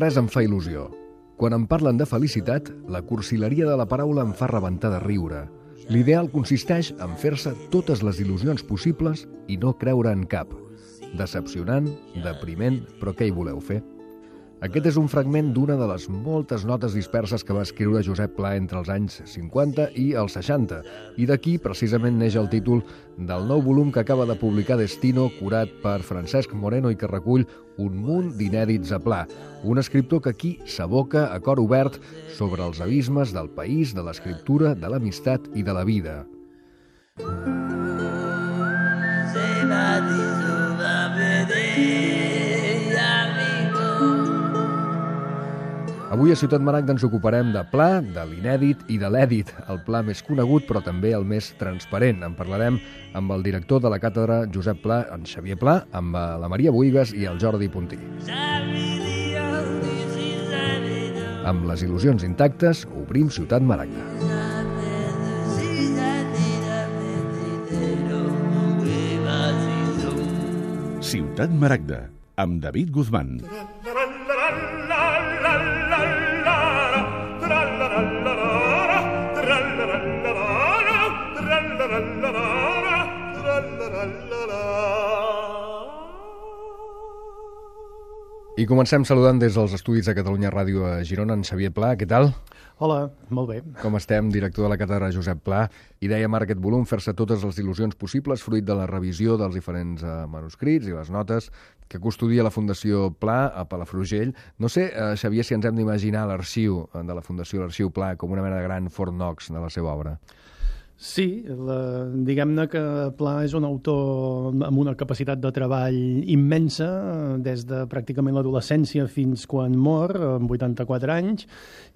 res em fa il·lusió. Quan em parlen de felicitat, la cursileria de la paraula em fa rebentar de riure. L'ideal consisteix en fer-se totes les il·lusions possibles i no creure en cap. Decepcionant, depriment, però què hi voleu fer? Aquest és un fragment d'una de les moltes notes disperses que va escriure Josep Pla entre els anys 50 i els 60, i d'aquí precisament neix el títol del nou volum que acaba de publicar Destino, curat per Francesc Moreno i que recull un munt d'inèdits a Pla, un escriptor que aquí s'aboca a cor obert sobre els abismes del país, de l'escriptura, de l'amistat i de la vida. Avui a Ciutat Maragda ens ocuparem de Pla, de l'inèdit i de l'èdit, el Pla més conegut però també el més transparent. En parlarem amb el director de la càtedra Josep Pla, en Xavier Pla, amb la Maria Bohigas i el Jordi Puntí. Amb les il·lusions intactes, obrim Ciutat Maragda. Ciutat Maragda, amb David Guzmán. I comencem saludant des dels estudis de Catalunya Ràdio a Girona, en Xavier Pla. Què tal? Hola, molt bé. Com estem? Director de la càtedra Josep Pla. I dèiem ara aquest volum, fer-se totes les il·lusions possibles, fruit de la revisió dels diferents manuscrits i les notes que custodia la Fundació Pla a Palafrugell. No sé, Xavier, si ens hem d'imaginar l'arxiu de la Fundació, l'Arxiu Pla, com una mena de gran Fort Knox de la seva obra. Sí, diguem-ne que Pla és un autor amb una capacitat de treball immensa, des de pràcticament l'adolescència fins quan mor, amb 84 anys,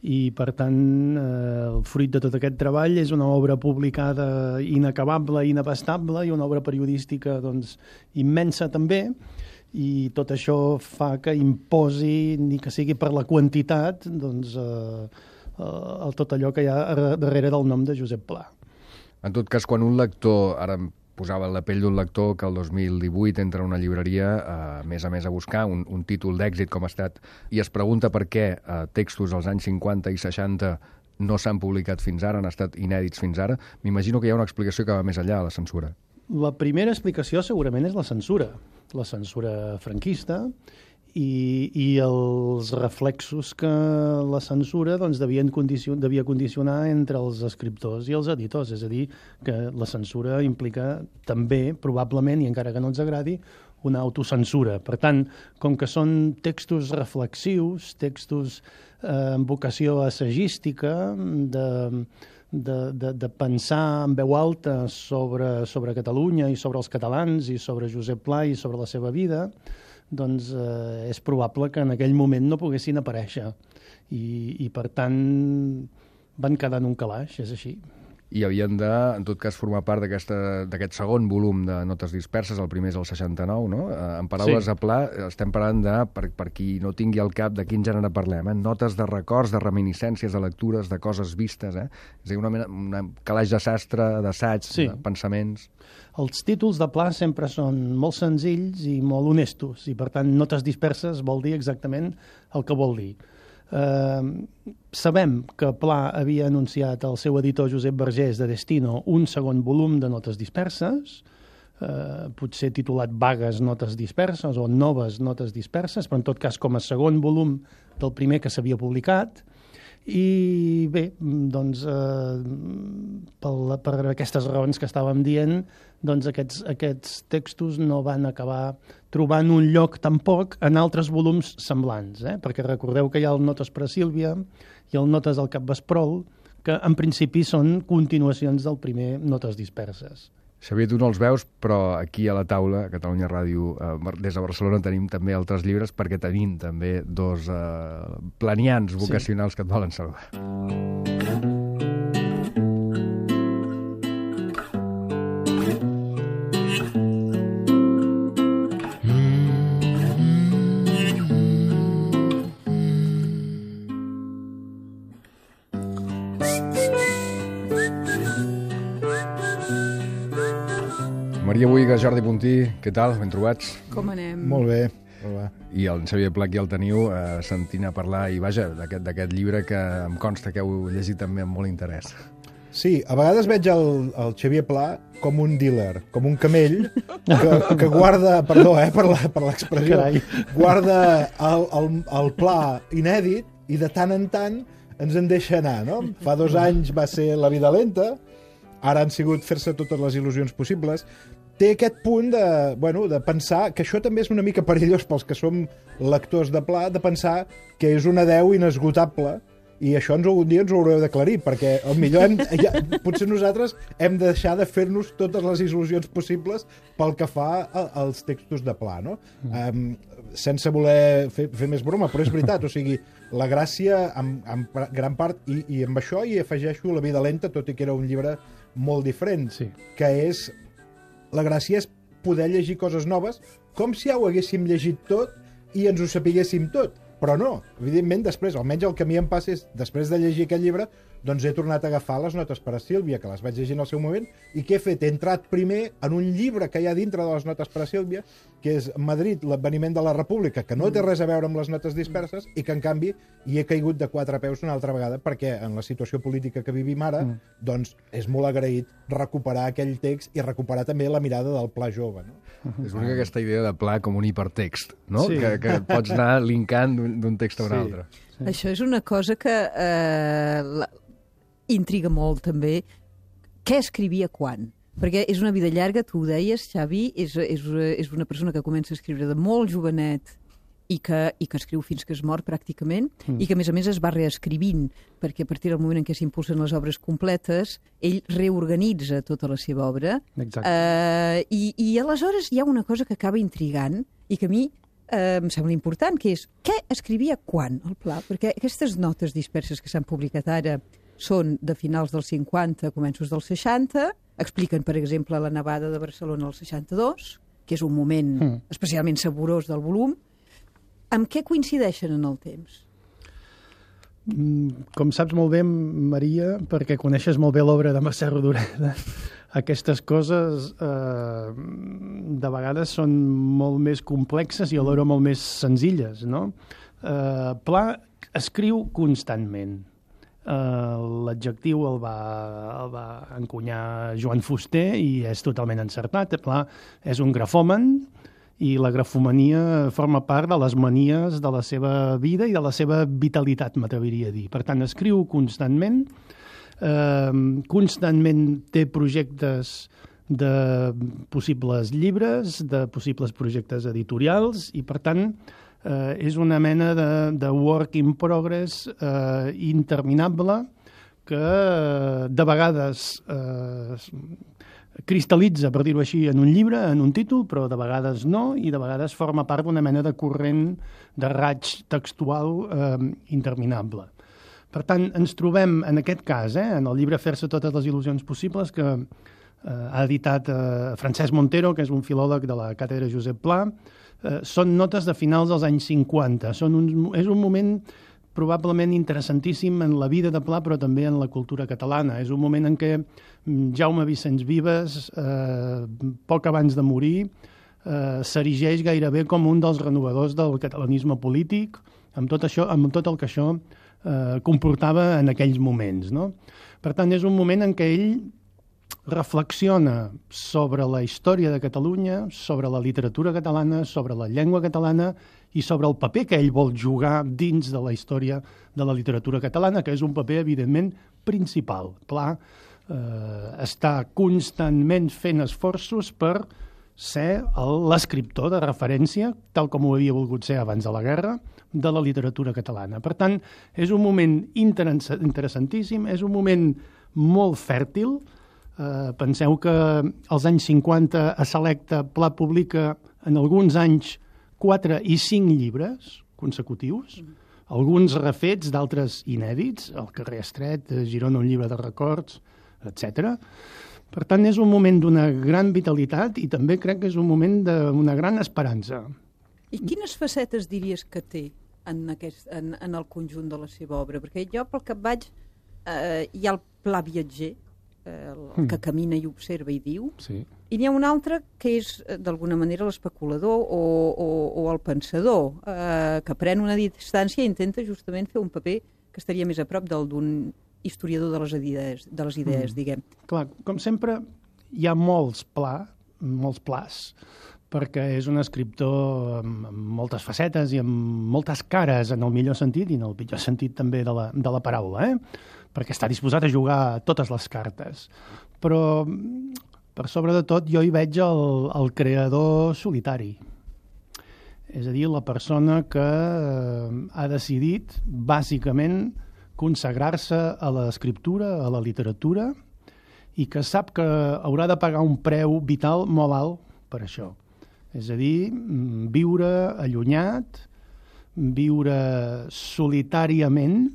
i per tant el fruit de tot aquest treball és una obra publicada inacabable, inabastable, i una obra periodística doncs, immensa també, i tot això fa que imposi, ni que sigui per la quantitat, doncs, tot allò que hi ha darrere del nom de Josep Pla. En tot cas, quan un lector, ara em posava la pell d'un lector que el 2018 entra a una llibreria, a més a buscar un títol d'èxit com ha estat, i es pregunta per què textos als anys 50 i 60 no s'han publicat fins ara, han estat inèdits fins ara, m'imagino que hi ha una explicació que va més enllà de la censura. La primera explicació segurament és la censura franquista, i els reflexos que la censura doncs, devia condicionar entre els escriptors i els editors. És a dir, que la censura implica també, probablement, i encara que no ens agradi, una autocensura. Per tant, com que són textos reflexius, textos amb vocació assagística, de pensar en veu alta sobre Catalunya i sobre els catalans i sobre Josep Pla i sobre la seva vida, doncs és probable que en aquell moment no poguessin aparèixer i per tant van quedar en un calaix, és així. I havien de, en tot cas, formar part d'aquest segon volum de notes disperses, el primer és el 69, no? En paraules sí. a Pla, estem parlant de, per qui no tingui al cap de quin gènere parlem, notes de records, de reminiscències, de lectures, de coses vistes, És a dir, una calaix de sastre, d'assaig, sí. De pensaments. Els títols de Pla sempre són molt senzills i molt honestos, i per tant notes disperses vol dir exactament el que vol dir. Sabem que Pla havia anunciat al seu editor Josep Vergés de Destino un segon volum de notes disperses, potser titulat Vagues notes disperses o Noves notes disperses, però en tot cas com a segon volum del primer que s'havia publicat. I bé, doncs, per aquestes raons que estàvem dient, doncs aquests textos no van acabar trobant un lloc tampoc en altres volums semblants, perquè recordeu que hi ha el Notes per a Sílvia i el Notes al Capvesprol, que en principi són continuacions del primer Notes disperses. Xavier, tu no els veus, però aquí a la taula, a Catalunya Ràdio, des de Barcelona, tenim també altres llibres, perquè tenim també dos planians vocacionals que et volen saludar. Maria Bohigas, Jordi Puntí, què tal? Ben trobats? Com anem? Molt bé. I el Xavier Pla aquí el teniu sentint a parlar, i vaja, d'aquest llibre que em consta que heu llegit també amb molt interès. Sí, a vegades veig el Xavier Pla com un dealer, com un camell que guarda, perdó per l'expressió, guarda el pla inèdit i de tant en tant ens en deixa anar, no? Fa 2 anys va ser La vida lenta, ara han sigut Fer-se totes les il·lusions possibles. Té aquest punt de pensar que això també és una mica perillós pels que som lectors de Pla, de pensar que és una deu inesgotable. I això algun dia ens ho haureu d'aclarir, perquè millor potser nosaltres hem de deixar de fer-nos totes les il·lusions possibles pel que fa als textos de Pla, no? Sense voler fer més broma, però és veritat, o sigui, la gràcia, en gran part, i amb això hi afegeixo La vida lenta, tot i que era un llibre molt diferent, que és... La gràcia és poder llegir coses noves, com si ja ho haguéssim llegit tot i ens ho sapiguéssim tot. Però no, evidentment, després, almenys el que a mi em passa és, després de llegir aquest llibre, doncs he tornat a agafar les notes per a Sílvia, que les vaig llegir en el seu moment, i què he fet? He entrat primer en un llibre que hi ha dintre de les notes per a Sílvia, que és Madrid, l'adveniment de la República, que no té res a veure amb les notes disperses, i que, en canvi, hi he caigut de 4 peus una altra vegada, perquè en la situació política que vivim ara, doncs és molt agraït recuperar aquell text i recuperar també la mirada del Pla jove, no? És una aquesta idea de Pla com un hipertext, no? Sí. Que pots anar linkant d'un text a un altre. Sí. Això és una cosa que intriga molt, també. Què escrivia quan? Perquè és una vida llarga, tu ho deies, Xavi, és una persona que comença a escriure de molt jovenet i que escriu fins que es mor, pràcticament, i que, a més, es va reescrivint, perquè a partir del moment en què s'impulsen les obres completes, ell reorganitza tota la seva obra. I aleshores hi ha una cosa que acaba intrigant i que a mi em sembla important, que és què escrivia quan, el Pla? Perquè aquestes notes disperses que s'han publicat ara són de finals dels 50, començos dels 60, expliquen, per exemple, la nevada de Barcelona al 62, que és un moment especialment saborós del volum. Amb què coincideixen en el temps? Com saps molt bé, Maria, perquè coneixes molt bé l'obra de Mercè Rodoreda, aquestes coses de vegades són molt més complexes i alhora molt més senzilles, no? Pla escriu constantment. L'adjectiu el va encunyar Joan Fuster i és totalment encertat. Pla és un grafòman i la grafomania forma part de les manies de la seva vida i de la seva vitalitat, m'atreviria a dir. Per tant, escriu constantment, constantment té projectes de possibles llibres, de possibles projectes editorials, i per tant és una mena de work in progress interminable que de vegades cristal·litza, per dir-ho així, en un llibre, en un títol, però de vegades no, i de vegades forma part d'una mena de corrent de raig textual interminable. Per tant, ens trobem, en aquest cas, en el llibre Fer-se totes les il·lusions possibles, que ha editat Francesc Montero, que és un filòleg de la càtedra Josep Pla, són notes de finals dels anys 50. És un moment probablement interessantíssim en la vida de Pla, però també en la cultura catalana. És un moment en què Jaume Vicenç Vives, poc abans de morir, s'erigeix gairebé com un dels renovadors del catalanisme polític, amb tot el que això comportava en aquells moments, no? Per tant, és un moment en què ell reflexiona sobre la història de Catalunya, sobre la literatura catalana, sobre la llengua catalana i sobre el paper que ell vol jugar dins de la història de la literatura catalana, que és un paper, evidentment, principal. Pla està constantment fent esforços per ser l'escriptor de referència, tal com ho havia volgut ser abans de la guerra, de la literatura catalana. Per tant, és un moment interessantíssim, és un moment molt fèrtil. Penseu que als anys 50 a Selecta Pla publica en alguns anys 4 i 5 llibres consecutius, alguns refets, d'altres inèdits, El carrer estret, Girona, un llibre de records, etc. Per tant, és un moment d'una gran vitalitat i també crec que és un moment d'una gran esperança. I quines facetes diries que té en el conjunt de la seva obra? Perquè jo, pel que vaig, hi ha el Pla viatger, que camina i observa i diu, Sí. i n'hi ha un altre que és, d'alguna manera, l'especulador o el pensador, que pren una distància i intenta justament fer un paper que estaria més a prop del d'un historiador de les idees, diguem. Clar, com sempre, hi ha molts plats, perquè és un escriptor amb moltes facetes i amb moltes cares, en el millor sentit i en el pitjor sentit també de la paraula, perquè està disposat a jugar totes les cartes. Però, per sobre de tot, jo hi veig el creador solitari. És a dir, la persona que ha decidit, bàsicament, consagrar-se a l'escriptura, a la literatura, i que sap que haurà de pagar un preu vital molt alt per això. És a dir, viure allunyat, viure solitàriament.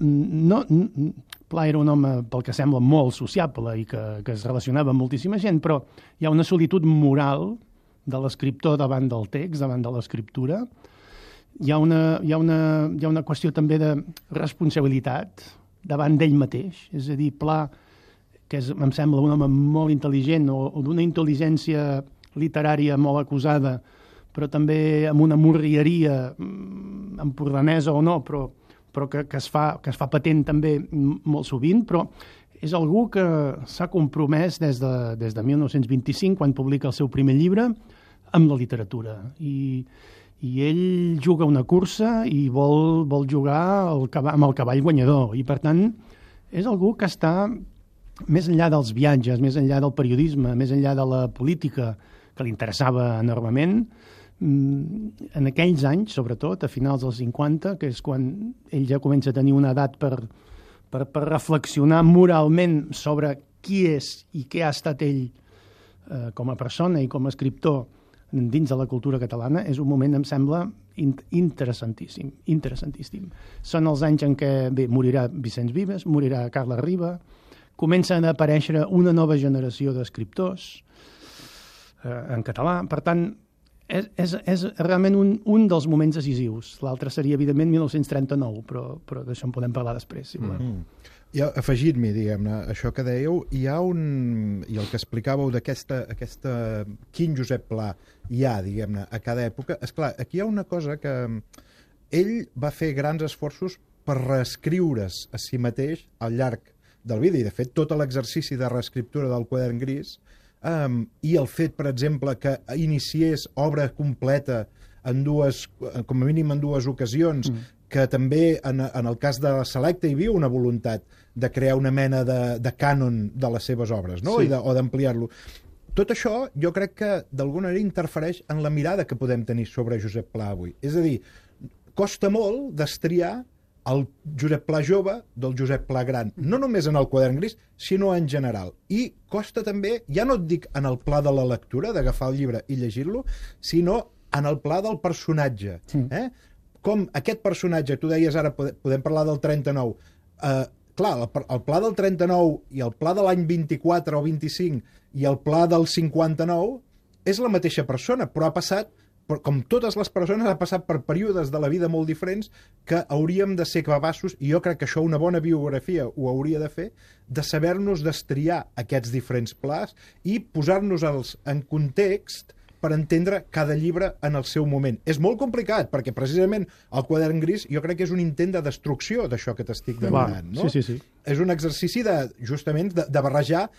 Pla era un home, pel que sembla, molt sociable i que es relacionava amb moltíssima gent, però hi ha una solitud moral de l'escriptor davant del text, davant de l'escriptura. Hi ha una qüestió també de responsabilitat davant d'ell mateix. És a dir, Pla, que em sembla un home molt intel·ligent o d'una intel·ligència literària molt acusada, però també amb una morrieria empordanesa o no, però que es fa patent també molt sovint, però és algú que s'ha compromès des de 1925, quan publica el seu primer llibre, amb la literatura. I ell juga una cursa i vol jugar amb el cavall guanyador. I, per tant, és algú que està més enllà dels viatges, més enllà del periodisme, més enllà de la política, que li interessava enormement. En aquells anys, sobretot, a finals dels 50, que és quan ell ja comença a tenir una edat per reflexionar moralment sobre qui és i què ha estat ell com a persona i com a escriptor dins de la cultura catalana, és un moment, em sembla, interessantíssim. Són els anys en què morirà Vicenç Vives, morirà Carles Riba, comencen a aparèixer una nova generació d'escriptors en català. Per tant, és realment un dels moments decisius. L'altre seria, evidentment, 1939, però d'això en podem parlar després, si volem. I afegint-m'hi, diguem-ne, això que dèieu, i el que explicàveu d'aquesta quin Josep Pla hi ha, diguem-ne, a cada època. Esclar, aquí hi ha una cosa que ell va fer grans esforços per reescriure's a si mateix al llarg del vida, i de fet tot l'exercici de reescriptura del Quadern Gris i el fet, per exemple, que iniciés obra completa com a mínim en dues ocasions, que també en el cas de la Selecta hi havia una voluntat de crear una mena de cànon de les seves obres, no? Sí. O d'ampliar-lo. Tot això jo crec que d'alguna manera interfereix en la mirada que podem tenir sobre Josep Pla avui. És a dir, costa molt destriar el Josep Pla jove del Josep Pla gran, no només en el Quadern Gris, sinó en general. I costa també, ja no et dic en el pla de la lectura, d'agafar el llibre i llegir-lo, sinó en el pla del personatge. Com aquest personatge, tu deies ara, podem parlar del 39, clar, el pla del 39 i el pla de l'any 24 o 25 i el pla del 59 és la mateixa persona, però ha passat, com totes les persones, ha passat per períodes de la vida molt diferents que hauríem de ser capaços, i jo crec que això una bona biografia ho hauria de fer, de saber-nos destriar aquests diferents plans i posar-nos-els en context per entendre cada llibre en el seu moment. És molt complicat, perquè precisament el Quadern Gris jo crec que és un intent de destrucció d'això que t'estic demanant. No? Sí. És un exercici justament de barrejar,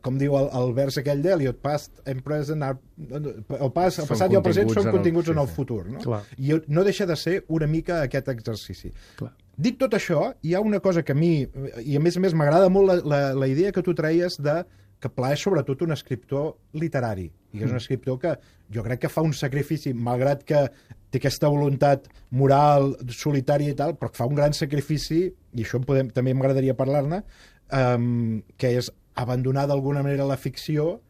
com diu el vers aquell d'Eliot, past and present el passat i el present són continguts en el futur. No? I no deixa de ser una mica aquest exercici. Clar. Dit tot això, hi ha una cosa que a mi, i a més m'agrada molt la idea que tu treies que Pla és sobretot un escriptor literari, i és un escriptor que jo crec que fa un sacrifici, malgrat que té aquesta voluntat moral, solitària i tal, però que fa un gran sacrifici, i això també m'agradaria parlar-ne, que és abandonar d'alguna manera la ficció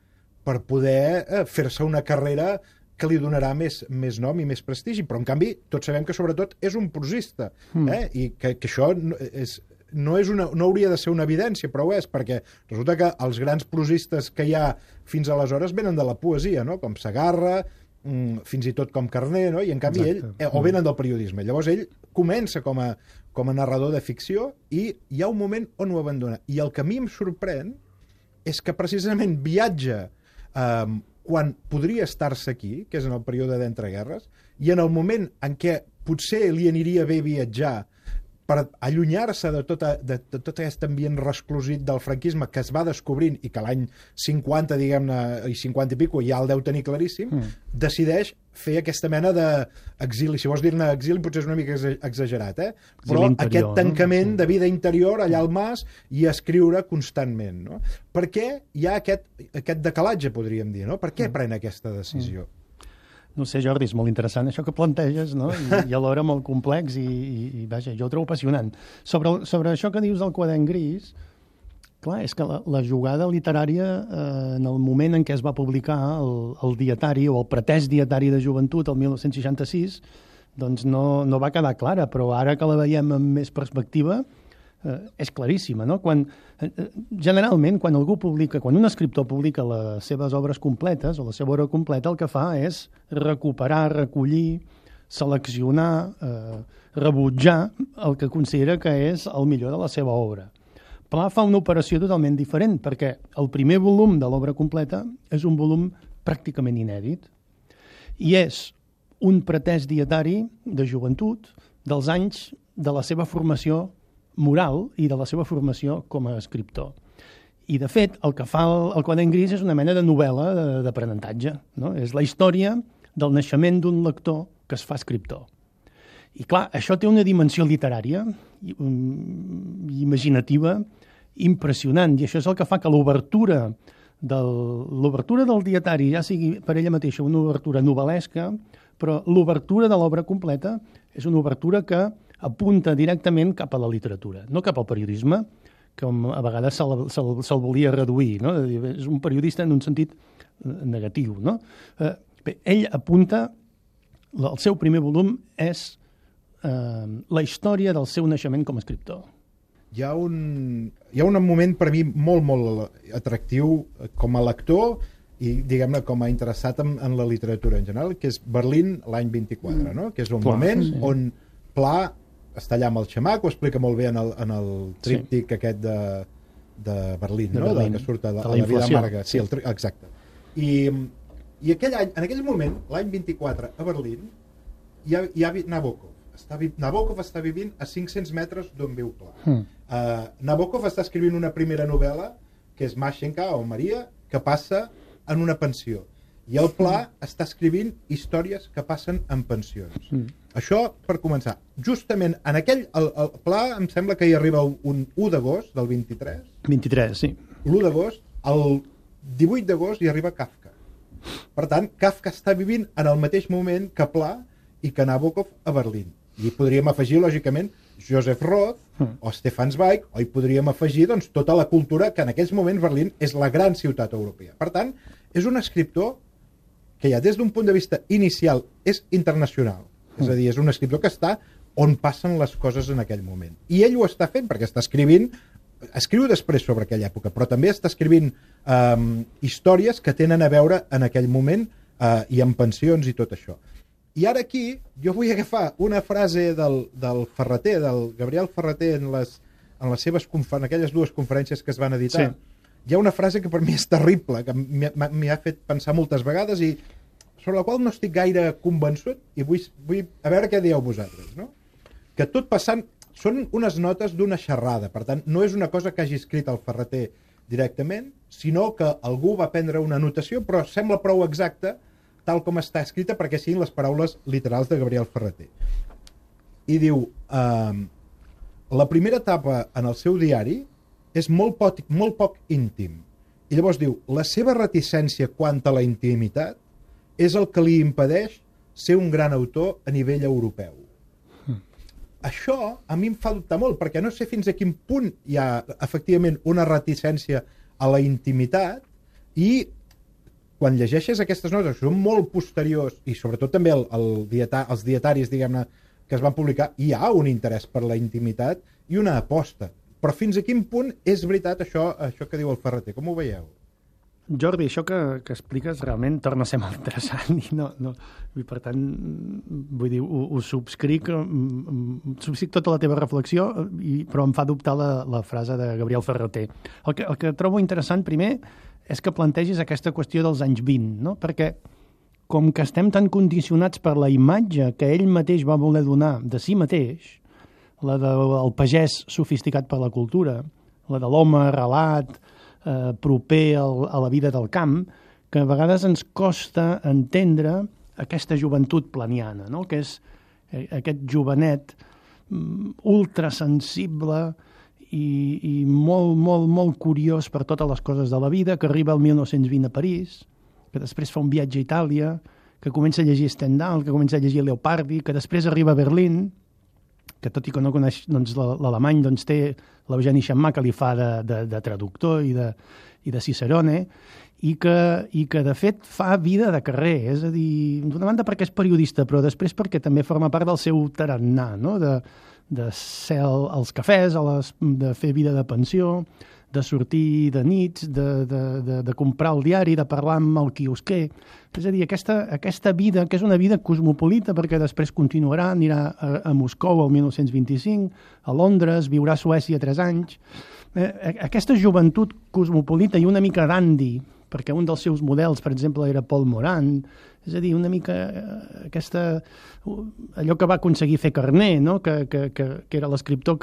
per poder fer-se una carrera que li donarà més nom i més prestigi, però en canvi tots sabem que sobretot és un prosista, i que això no hauria de ser una evidència, però ho és, perquè resulta que els grans prosistes que hi ha fins aleshores venen de la poesia, no? Com Segarra, fins i tot com Carner, no? I en canvi o venen del periodisme. Llavors ell comença com a narrador de ficció i hi ha un moment on ho abandona. I el que a mi em sorprèn és que precisament viatja quan podria estar-se aquí, que és en el període d'entreguerres, i en el moment en què potser li aniria bé viatjar per allunyar-se de tot aquest ambient resclosit del franquisme que es va descobrint i que l'any 50, diguem-ne, i 50 i pico ja el deu tenir claríssim, decideix fer aquesta mena d'exili. Si vols dir-ne exili potser és una mica exagerat, però aquest tancament de vida interior allà al mas i escriure constantment. No? Per què hi ha aquest decalatge, podríem dir? No? Per què pren aquesta decisió? No sé, Jordi, és molt interessant això que planteges, no? I alhora molt complex i vaja, jo ho trobo apassionant. Sobre això que dius del quadern gris, clar, és que la jugada literària en el moment en què es va publicar el dietari o el pretès dietari de joventut el 1966 doncs no va quedar clara, però ara que la veiem amb més perspectiva és claríssima, no? Generalment, quan un escriptor publica les seves obres completes o la seva obra completa, el que fa és recuperar, recollir, seleccionar, rebutjar el que considera que és el millor de la seva obra. Pla fa una operació totalment diferent, perquè el primer volum de l'obra completa és un volum pràcticament inèdit i és un pretès dietari de joventut dels anys de la seva formació moral i de la seva formació com a escriptor. I, de fet, el que fa el quadern gris és una mena de novel·la d'aprenentatge. No? És la història del naixement d'un lector que es fa escriptor. I, clar, això té una dimensió literària i imaginativa impressionant, i això és el que fa que l'obertura del dietari ja sigui per ella mateixa una obertura novel·lesca, però l'obertura de l'obra completa és una obertura que apunta directament cap a la literatura, no cap al periodisme, que a vegades se'l volia reduir, no? És un periodista en un sentit negatiu. No? Bé, ell apunta, el seu primer volum és la història del seu naixement com a escriptor. Hi ha un moment per mi molt, molt atractiu com a lector i, diguem-ne, com a interessat en la literatura en general, que és Berlín l'any 24, no? Que és un moment on Pla està allà amb el xamac, ho explica molt bé en el tríptic aquest de Berlín, no? Berlín, que surt a la vida amarga. Sí, exacte. I aquell any, en aquell moment, l'any 24, a Berlín, hi ha Nabokov. Nabokov està vivint a 500 metres d'on viu Pla. Nabokov està escrivint una primera novel·la, que és Mashenka o Maria, que passa en una pensió. I el Pla està escrivint històries que passen en pensions. Això per començar. Justament en aquell... El Pla em sembla que hi arriba un 1 d'agost del 23. 23, sí. L'1 d'agost, el 18 d'agost hi arriba Kafka. Per tant, Kafka està vivint en el mateix moment que Pla i que Nabokov a Berlín. I podríem afegir, lògicament, Joseph Roth o Stefan Zweig, o hi podríem afegir doncs, tota la cultura que en aquells moments Berlín és la gran ciutat europea. Per tant, és un escriptor que ja des d'un punt de vista inicial és internacional. És a dir, és un escriptor que està on passen les coses en aquell moment. I ell ho està fent perquè està escrivint, escriu després sobre aquella època, però també està escrivint històries que tenen a veure en aquell moment i en pensions i tot això. I ara aquí jo vull agafar una frase del Ferreter, del Gabriel Ferreter, en aquelles dues conferències que es van editar. Sí. Hi ha una frase que per mi és terrible, que m'hi ha fet pensar moltes vegades i sobre la qual no estic gaire convençut i vull a veure què dieu vosaltres. No? Que tot passant són unes notes d'una xerrada, per tant, no és una cosa que hagi escrit el Ferreter directament, sinó que algú va prendre una anotació, però sembla prou exacta tal com està escrita perquè siguin les paraules literals de Gabriel Ferreter. I diu, la primera etapa en el seu diari és molt poc íntim. I llavors diu, la seva reticència quant a la intimitat és el que li impedeix ser un gran autor a nivell europeu. Això a mi em fa dubtar molt, perquè no sé fins a quin punt hi ha efectivament una reticència a la intimitat i quan llegeixes aquestes notes, que són molt posteriors i sobretot també els dietaris, diguem-ne, que es van publicar, hi ha un interès per la intimitat i una aposta. Però fins a quin punt és veritat això que diu el Ferreter? Com ho veieu? Jordi, això que expliques realment torna a ser molt interessant i i per tant, vull dir, ho subscric tota la teva reflexió, però em fa dubtar la frase de Gabriel Ferrater. El que trobo interessant, primer, és que plantegis aquesta qüestió dels anys 20, no? Perquè com que estem tan condicionats per la imatge que ell mateix va voler donar de si mateix, la del pagès sofisticat per la cultura, la de l'home arrelat, proper a la vida del camp, que a vegades ens costa entendre aquesta joventut planiana, no? Que és aquest jovenet ultrasensible i molt, molt, molt curiós per totes les coses de la vida, que arriba al 1920 a París, que després fa un viatge a Itàlia, que comença a llegir Stendhal, que comença a llegir Leopardi, que després arriba a Berlín, que tot i que no coneix l'alemany, té l'Eugeni Xammà que li fa de traductor i de Cicerone, i que de fet fa vida de carrer, és a dir, d'una banda perquè és periodista, però després perquè també forma part del seu tarannà, no? De ser als cafès, de fer vida de pensió, de sortir de nits, de comprar el diari, de parlar amb el quiosquer. És a dir, aquesta vida, que és una vida cosmopolita, perquè després continuarà, anirà a Moscou el 1925, a Londres, viurà a Suècia 3 anys. Aquesta joventut cosmopolita i una mica dandy, perquè un dels seus models, per exemple, era Paul Morand, és a dir, una mica allò que va aconseguir fer Carné, no? que era l'escriptor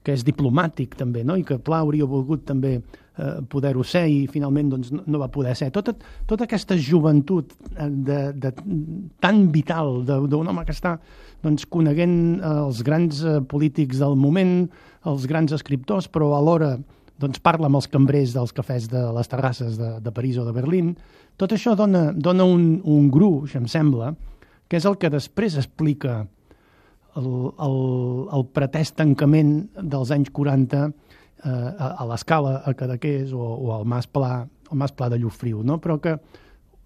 que és diplomàtic també, no? I que Pla hauria volgut també poder-ho ser i finalment doncs, no va poder ser. Tota aquesta joventut tan vital d'un home que està doncs, coneguent els grans polítics del moment, els grans escriptors, però alhora doncs, parla amb els cambrers dels cafès de les terrasses de París o de Berlín. Tot això dona un gruix, em sembla, que és el que després explica el pretès tancament dels anys 40 a l'Escala, a Cadaqués o al Mas Pla de Llofriu, no? Però que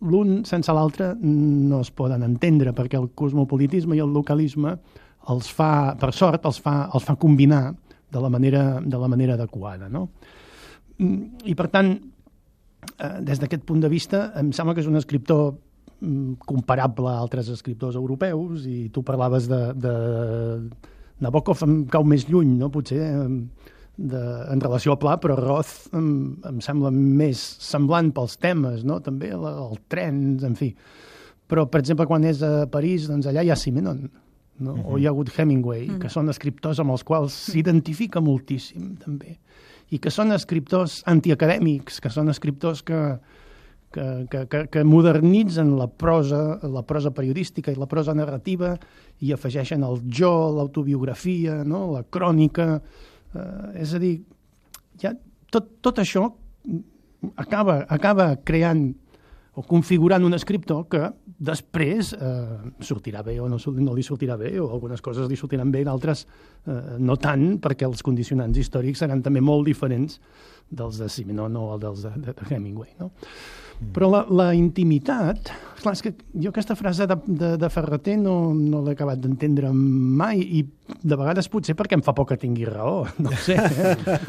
l'un sense l'altre no es poden entendre, perquè el cosmopolitisme i el localisme per sort, els fa combinar de la manera adequada, no? I per tant, des d'aquest punt de vista, em sembla que és un escriptor comparable a altres escriptors europeus, i tu parlaves de Nabokov, em cau més lluny, no? Potser en relació a Pla, però Roth em sembla més semblant pels temes, no? També el tren, en fi. Però, per exemple, quan és a París, doncs allà hi ha Simenon, no? O hi ha hagut Hemingway, que són escriptors amb els quals s'identifica moltíssim, també. I que són escriptors antiacadèmics, que són escriptors que modernitzen la prosa periodística i la prosa narrativa i afegeixen el jo, l'autobiografia, no? La crònica. És a dir, ja tot això acaba creant o configurant un escriptor que després sortirà bé o no li sortirà bé, o algunes coses li sortiran bé, d'altres no tant, perquè els condicionants històrics seran també molt diferents dels de Simenon o dels de Hemingway, no? Però la intimitat, clar, és que jo aquesta frase de Ferrater no l'he acabat d'entendre mai, i de vegades potser perquè em fa por que tingui raó, no sé,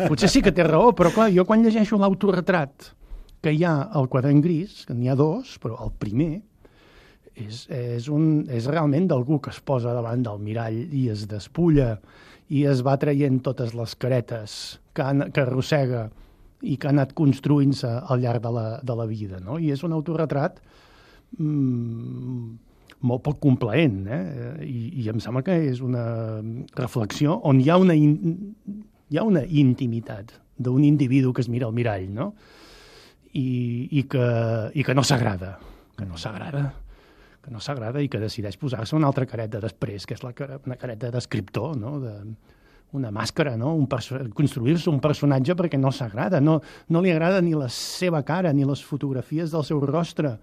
potser sí que té raó, però clar, jo quan llegeixo l'autoretrat que hi ha al Quadern Gris, que n'hi ha 2, però el primer és realment d'algú que es posa davant del mirall i es despulla i es va traient totes les caretes que arrossega i que ha anat construint-se al llarg de la vida, no? I és un autoretrat molt poc complaent, I em sembla que és una reflexió on hi ha una intimitat d'un individu que es mira al mirall, no? I que no s'agrada, i que decideix posar-se una altra careta després, que és una careta d'escriptor, no? Una màscara, no? Construir-se un personatge perquè no s'agrada, no li agrada ni la seva cara ni les fotografies del seu rostre,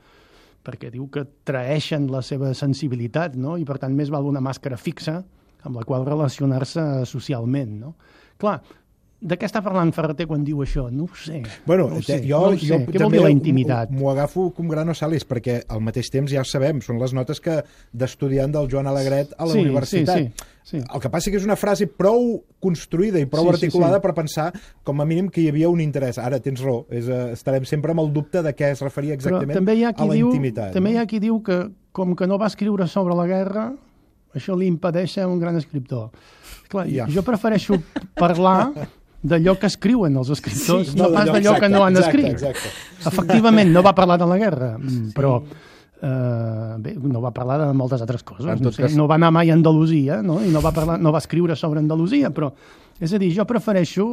perquè diu que traeixen la seva sensibilitat, no? I per tant més val una màscara fixa amb la qual relacionar-se socialment, no? Clar, de què està parlant Ferreter quan diu això? No ho sé. Bueno, no ho sé. jo Què vol dir la intimitat? M'ho agafo com grano salis, perquè al mateix temps ja ho sabem, són les notes d'estudiant del Joan Alegret a la universitat. Sí. El que passa que és una frase prou construïda i prou articulada per pensar, com a mínim, que hi havia un interès. Ara, tens raó, estarem sempre amb el dubte de què es referia exactament a la intimitat. També hi ha qui diu que, com que no va escriure sobre la guerra, això li impedeix ser un gran escriptor. Clar, jo prefereixo parlar d'allò que escriuen els escriptors, no pas d'allò que no han escrit. Exacte. Efectivament, no va parlar de la guerra, però bé, no va parlar de moltes altres coses. No va anar mai a Andalusia, no? I no va escriure sobre Andalusia, però, és a dir, jo prefereixo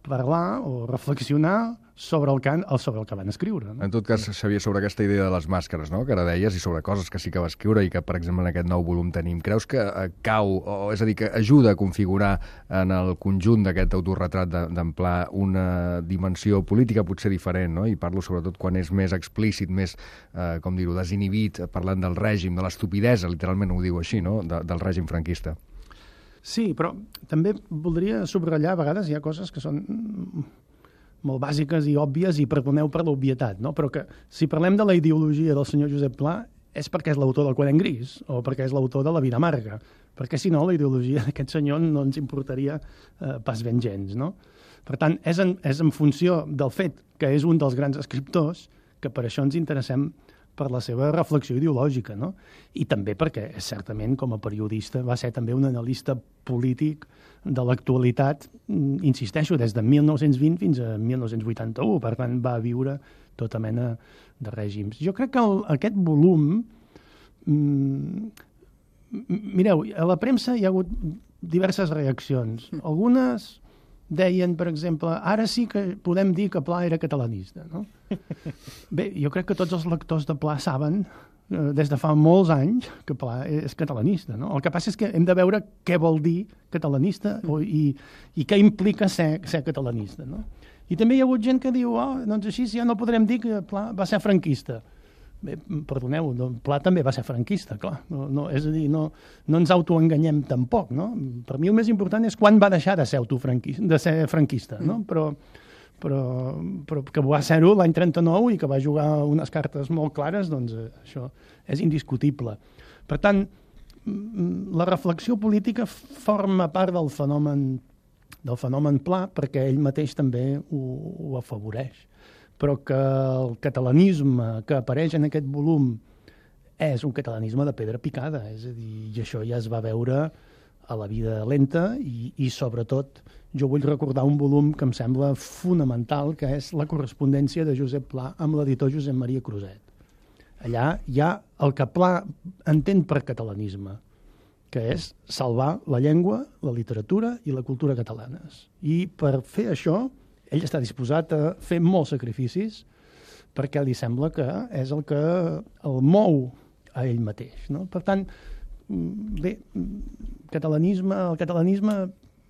parlar o reflexionar sobre el que van escriure. No? En tot cas, Xavier, sobre aquesta idea de les màscares, no?, que ara deies, i sobre coses que sí que va escriure i que, per exemple, en aquest nou volum tenim, creus que cau, és a dir, que ajuda a configurar en el conjunt d'aquest autorretrat d'en Pla una dimensió política potser diferent, no? I parlo sobretot quan és més explícit, més, com dir-ho, desinhibit, parlant del règim, de l'estupidesa, literalment ho diu així, no?, del règim franquista. Sí, però també voldria subratllar, a vegades hi ha coses que són molt bàsiques i òbvies, i perdoneu per l'obvietat, no? Però que si parlem de la ideologia del senyor Josep Pla és perquè és l'autor del Quadern Gris o perquè és l'autor de La vida amarga, perquè si no la ideologia d'aquest senyor no ens importaria pas ben gens, no? Per tant, és en funció del fet que és un dels grans escriptors que per això ens interessem per la seva reflexió ideològica, no? I també perquè, certament, com a periodista, va ser també un analista polític de l'actualitat, insisteixo, des de 1920 fins a 1981, per tant, va viure tota mena de règims. Jo crec que aquest volum... Mireu, a la premsa hi ha hagut diverses reaccions. Algunes deien, per exemple, ara sí que podem dir que Pla era catalanista, no? Bé, jo crec que tots els lectors de Pla saben, des de fa molts anys, que Pla és catalanista, no? El que passa és que hem de veure què vol dir catalanista i què implica ser catalanista, no? I també hi ha hagut gent que diu, doncs així ja no podrem dir que Pla va ser franquista. Bé, perdoneu, Pla també va ser franquista, clar. És a dir, no ens autoenganyem tampoc, no? Per mi el més important és quan va deixar de ser franquista, no? Però que va ser-ho l'any 39 i que va jugar unes cartes molt clares, doncs això és indiscutible. Per tant, la reflexió política forma part del fenomen Pla perquè ell mateix també ho afavoreix. Però que el catalanisme que apareix en aquest volum és un catalanisme de pedra picada, és a dir, i això ja es va veure a La vida lenta i sobretot jo vull recordar un volum que em sembla fonamental, que és la correspondència de Josep Pla amb l'editor Josep Maria Cruzet. Allà hi ha el que Pla entén per catalanisme, que és salvar la llengua, la literatura i la cultura catalanes. I per fer això ell està disposat a fer molts sacrificis perquè li sembla que és el que el mou a ell mateix, no? Per tant, bé, el catalanisme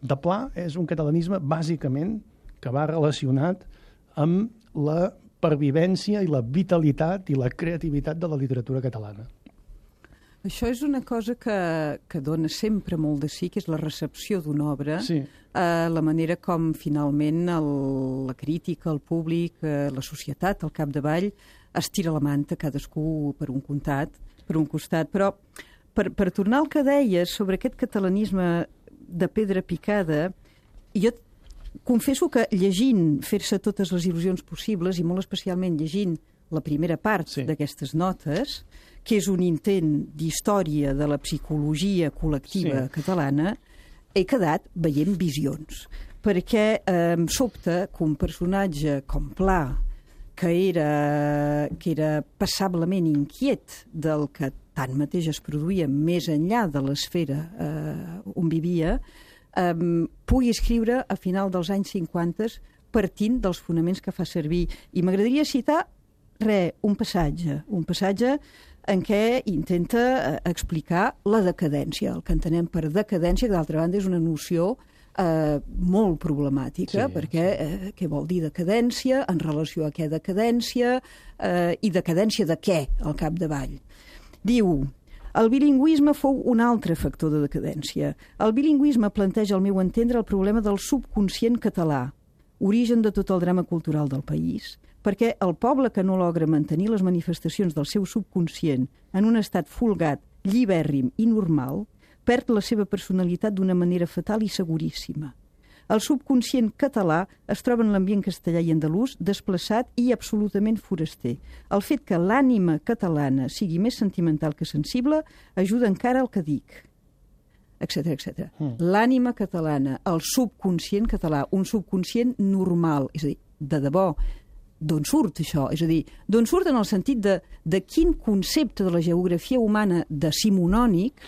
de Pla és un catalanisme bàsicament que va relacionat amb la pervivència i la vitalitat i la creativitat de la literatura catalana. Això és una cosa que dona sempre molt de sí, que és la recepció d'una obra, sí. La manera com finalment la crítica, el públic, la societat, al capdavall, es tira la manta cadascú per un costat. Però per tornar al que deies sobre aquest catalanisme de pedra picada, jo confesso que llegint Fer-se totes les il·lusions possibles, i molt especialment llegint la primera part d'aquestes notes, que és un intent d'història de la psicologia col·lectiva catalana, he quedat veient visions. Perquè em sobta que un personatge com Pla, que era passablement inquiet del que tanmateix es produïa més enllà de l'esfera on vivia, pugui escriure a final dels anys 50 partint dels fonaments que fa servir. I m'agradaria citar un passatge en què intenta explicar la decadència, el que entenem per decadència, que d'altra banda és una noció molt problemàtica, perquè què vol dir decadència, en relació a què decadència, i decadència de què, al capdavall. Diu, El bilingüisme fou un altre factor de decadència. El bilingüisme planteja, al meu entendre, el problema del subconscient català, origen de tot el drama cultural del país, perquè el poble que no logra mantenir les manifestacions del seu subconscient en un estat folgat, llibèrrim i normal, perd la seva personalitat d'una manera fatal i seguríssima. El subconscient català es troba en l'ambient castellà i andalús desplaçat i absolutament foraster. El fet que l'ànima catalana sigui més sentimental que sensible ajuda encara al que dic, etcètera, etcètera. L'ànima catalana, el subconscient català, un subconscient normal, és a dir, de debò, d'on surt això? És a dir, d'on surt en el sentit de quin concepte de la geografia humana decimonònic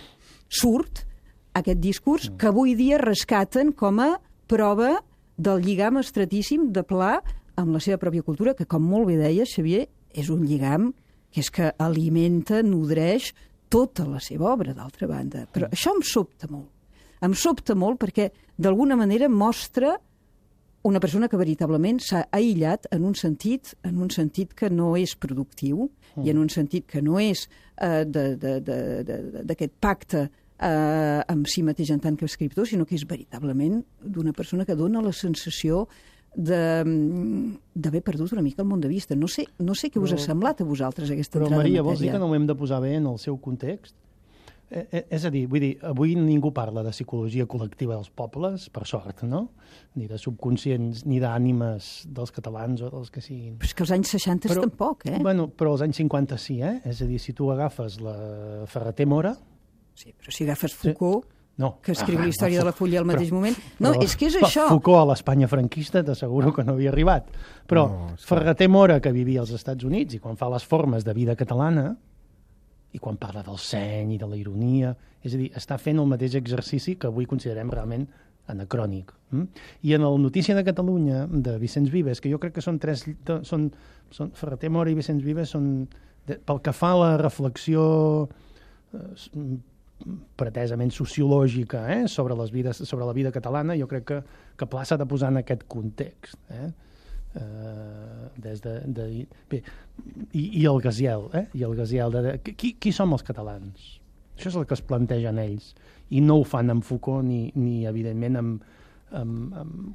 surt aquest discurs que avui dia rescaten com a prova del lligam estratíssim de Pla amb la seva pròpia cultura, que, com molt bé deies, Xavier, és un lligam que és que alimenta, nodreix tota la seva obra, d'altra banda. Però això em sobta molt. Em sobta molt perquè, d'alguna manera, mostra una persona que veritablement s'ha aïllat en un sentit que no és productiu i en un sentit que no és d'aquest pacte amb si mateix en tant que escriptor, sinó que és veritablement d'una persona que dona la sensació d'haver perdut una mica el món de vista. No sé què us ha semblat a vosaltres aquesta entrada en matèria. Però, Maria, vols dir que no ho hem de posar bé en el seu context? És a dir, vull dir, avui ningú parla de psicologia col·lectiva dels pobles, per sort, no? Ni de subconscients, ni d'ànimes dels catalans o dels que siguin. Però és que els anys 60 tampoc, eh? Bueno, però als anys 50 sí, eh? És a dir, si tu agafes la Ferrater Mora... Sí, però si agafes Foucault, no. Que escriu la història de la Fulla al mateix moment... No, és que és això. Foucault a l'Espanya franquista t'asseguro que no havia arribat. Però Ferrater Mora, que vivia als Estats Units, i quan fa les formes de vida catalana, i quan parla del seny i de la ironia, és a dir, està fent el mateix exercici que avui considerem realment anacrònic. I en el Notícia de Catalunya, de Vicenç Vives, que jo crec que són Ferrater Mora i Vicenç Vives són, pel que fa a la reflexió pretesament sociològica sobre la vida catalana, jo crec que Pla s'ha de posar en aquest context. I el Gaziel, i el Gaziel qui som els catalans? Això és el que es plantegen ells, i no ho fan amb Foucault ni evidentment amb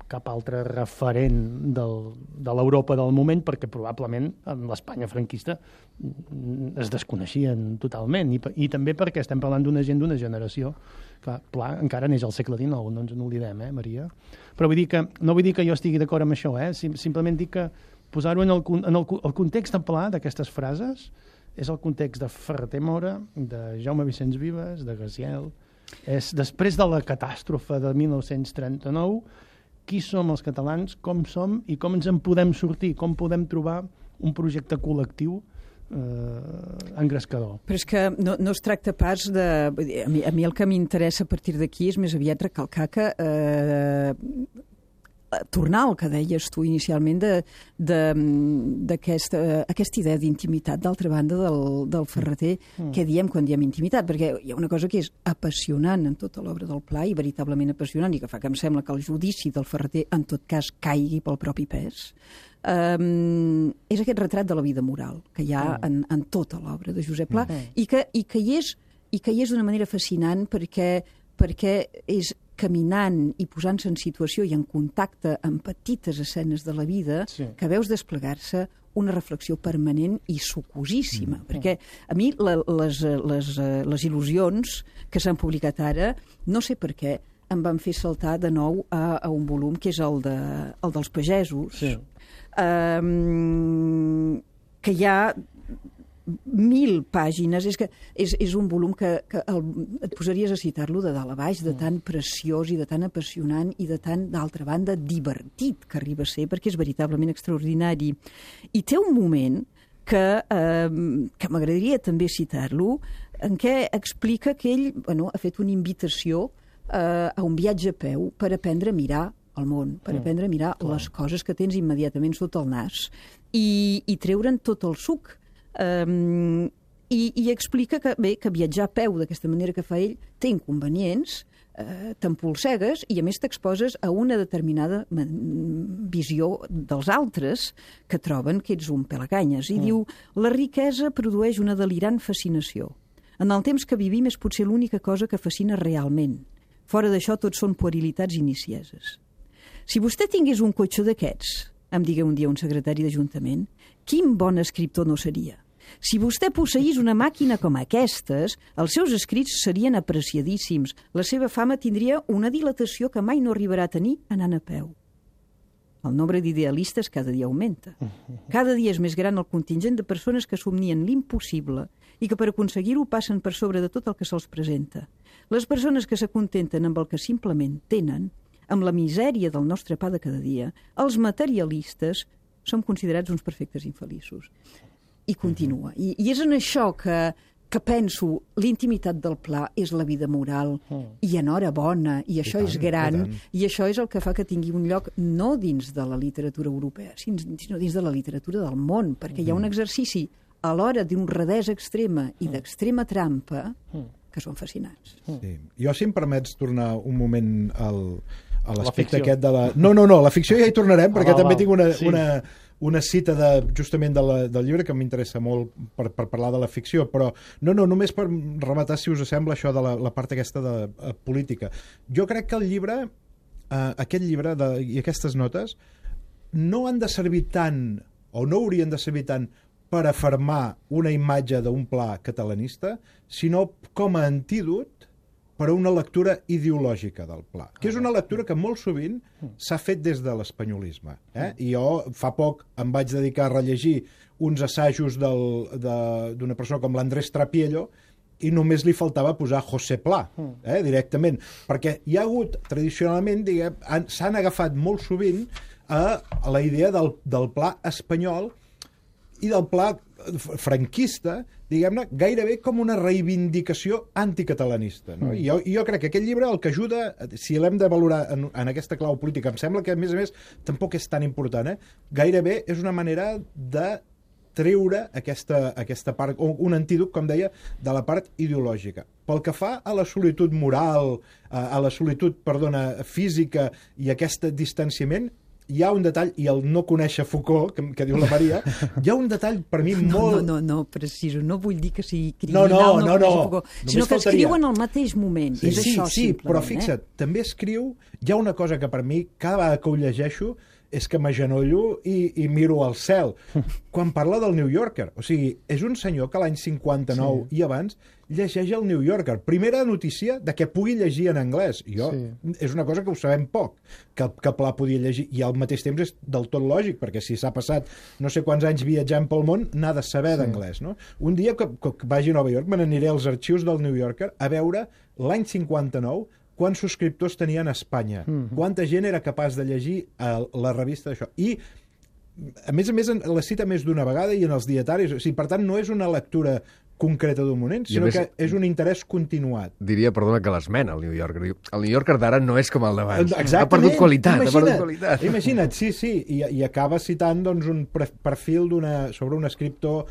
cap altre referent de l'Europa del moment, perquè probablement en l'Espanya franquista es desconeixien totalment, i també perquè estem parlant d'una gent d'una generació. Clar, Pla encara neix al segle XIX, no ens n'oblidem, Maria? Però no vull dir que jo estigui d'acord amb això, simplement dic que posar-ho en el context de Pla d'aquestes frases és el context de Ferrater Mora, de Jaume Vicenç Vives, de Gaziel. És després de la catàstrofe de 1939, qui som els catalans, com som i com ens en podem sortir, com podem trobar un projecte col·lectiu engrescador. Però és que no es tracta pas de... A mi el que m'interessa a partir d'aquí és més aviat recalcar que tornar al que deies tu inicialment d'aquesta idea d'intimitat, d'altra banda, del Ferrater, què diem quan diem intimitat? Perquè hi ha una cosa que és apassionant en tota l'obra del Pla, i veritablement apassionant, i que fa que em sembla que el judici del Ferrater, en tot cas, caigui pel propi pes, és aquest retrat de la vida moral que hi ha en tota l'obra de Josep Pla, i que hi és d'una manera fascinant perquè és caminant i posant-se en situació i en contacte amb petites escenes de la vida que veus desplegar-se una reflexió permanent i sucosíssima. Perquè a mi les il·lusions que s'han publicat ara, no sé per què, em van fer saltar de nou a un volum que és el dels pagesos, que hi ha 1000 pàgines, és un volum que et posaries a citar-lo de dalt a baix, de tan preciós i de tan apassionant i de tan, d'altra banda, divertit que arriba a ser, perquè és veritablement extraordinari. I té un moment que m'agradaria també citar-lo, en què explica que ell ha fet una invitació a un viatge a peu per aprendre a mirar el món, per aprendre a mirar les coses que tens immediatament sota el nas i treure'n tot el suc. I explica que viatjar a peu d'aquesta manera que fa ell té inconvenients, t'empolsegues i a més t'exposes a una determinada visió dels altres que troben que ets un pelacanyes. I diu, la riquesa produeix una delirant fascinació. En el temps que vivim és potser l'única cosa que fascina realment. Fora d'això, tots són puerilitats inicieses. Si vostè tingués un cotxó d'aquests, em digué un dia un secretari d'Ajuntament, quin bon escriptor no seria. Si vostè posseís una màquina com aquestes, els seus escrits serien apreciadíssims. La seva fama tindria una dilatació que mai no arribarà a tenir anant a peu. El nombre d'idealistes cada dia augmenta. Cada dia és més gran el contingent de persones que somnien l'impossible i que per aconseguir-ho passen per sobre de tot el que se'ls presenta. Les persones que s'acontenten amb el que simplement tenen, amb la misèria del nostre pa de cada dia, els materialistes, som considerats uns perfectes infeliços. I continua. I és en això que penso, l'intimitat del Pla és la vida moral, i enhorabona, i això és gran, i això és el que fa que tingui un lloc no dins de la literatura europea, sinó dins de la literatura del món, perquè hi ha un exercici a l'hora d'honradesa extrema i d'extrema trampa que són fascinants. Sí. Jo, si em permets tornar un moment a l'aspecte aquest de la... No, la ficció ja hi tornarem, perquè també tinc una cita justament del llibre que m'interessa molt per parlar de la ficció, però només per rematar, si us sembla, això de la part aquesta de política. Jo crec que el llibre, aquest llibre i aquestes notes, no han de servir tant, o no haurien de servir tant, per afirmar una imatge d'un Pla catalanista, sinó com a antídot per a una lectura ideològica del Pla, que és una lectura que molt sovint s'ha fet des de l'espanyolisme. I jo fa poc em vaig dedicar a rellegir uns assajos d'una persona com l'Andrés Trapiello i només li faltava posar José Pla, directament, perquè hi ha hagut, tradicionalment, s'han agafat molt sovint a la idea del Pla espanyol i del Pla franquista, diguem-ne, gairebé com una reivindicació anticatalanista. No? I jo crec que aquest llibre el que ajuda, si l'hem de valorar en aquesta clau política, em sembla que, a més, tampoc és tan important, gairebé és una manera de treure aquesta part, o un antídot, com deia, de la part ideològica. Pel que fa a la solitud moral, a la solitud, física i aquest distanciament, hi ha un detall, i el no conèixer Foucault, que diu la Maria, hi ha un detall per mi molt... No, preciso, no vull dir que sigui criminal, no conèixer Foucault, sinó que escriuen al mateix moment, és això, simplement. Sí, però fixa't, també escriu, hi ha una cosa que per mi, cada vegada que ho llegeixo, és que m'agenollo i miro al cel. Quan parla del New Yorker, o sigui, és un senyor que l'any 59 i abans llegeix el New Yorker. Primera notícia de que pugui llegir en anglès. És una cosa que ho sabem poc, que Pla podia llegir, i al mateix temps és del tot lògic, perquè si s'ha passat no sé quants anys viatjant pel món, n'ha de saber d'anglès. No? Un dia que vagi a Nova York, me n'aniré als arxius del New Yorker a veure l'any 59 quants subscriptors tenien a Espanya, quanta gent era capaç de llegir la revista d'això. I, a més, la cita més d'una vegada i en els dietaris. O sigui, per tant, no és una lectura concreta d'un moment, sinó que és un interès continuat. Diria, perdona, que l'esmena el New Yorker. El New Yorker d'ara no és com el d'abans. Exactament. Ha perdut qualitat. Imagina't, sí. I acaba citant un perfil sobre un escriptor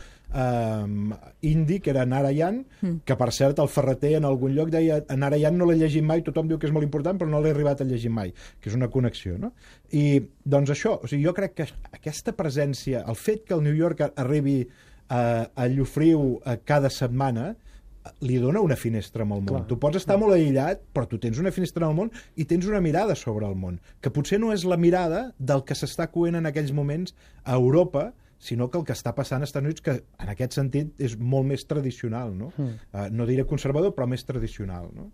indi, que era Narayan, que per cert el Ferreter en algun lloc deia Narayan no l'he llegit mai, tothom diu que és molt important, però no l'he arribat a llegir mai, que és una connexió, no? I doncs això, o sigui, jo crec que aquesta presència, el fet que el New Yorker arribi a Llofriu cada setmana, li dona una finestra amb el món. Tu pots estar molt aïllat, però tu tens una finestra al món i tens una mirada sobre el món, que potser no és la mirada del que s'està coent en aquells moments a Europa, sinó que el que està passant als Estats Units, que en aquest sentit és molt més tradicional, no? No diré conservador, però més tradicional, no?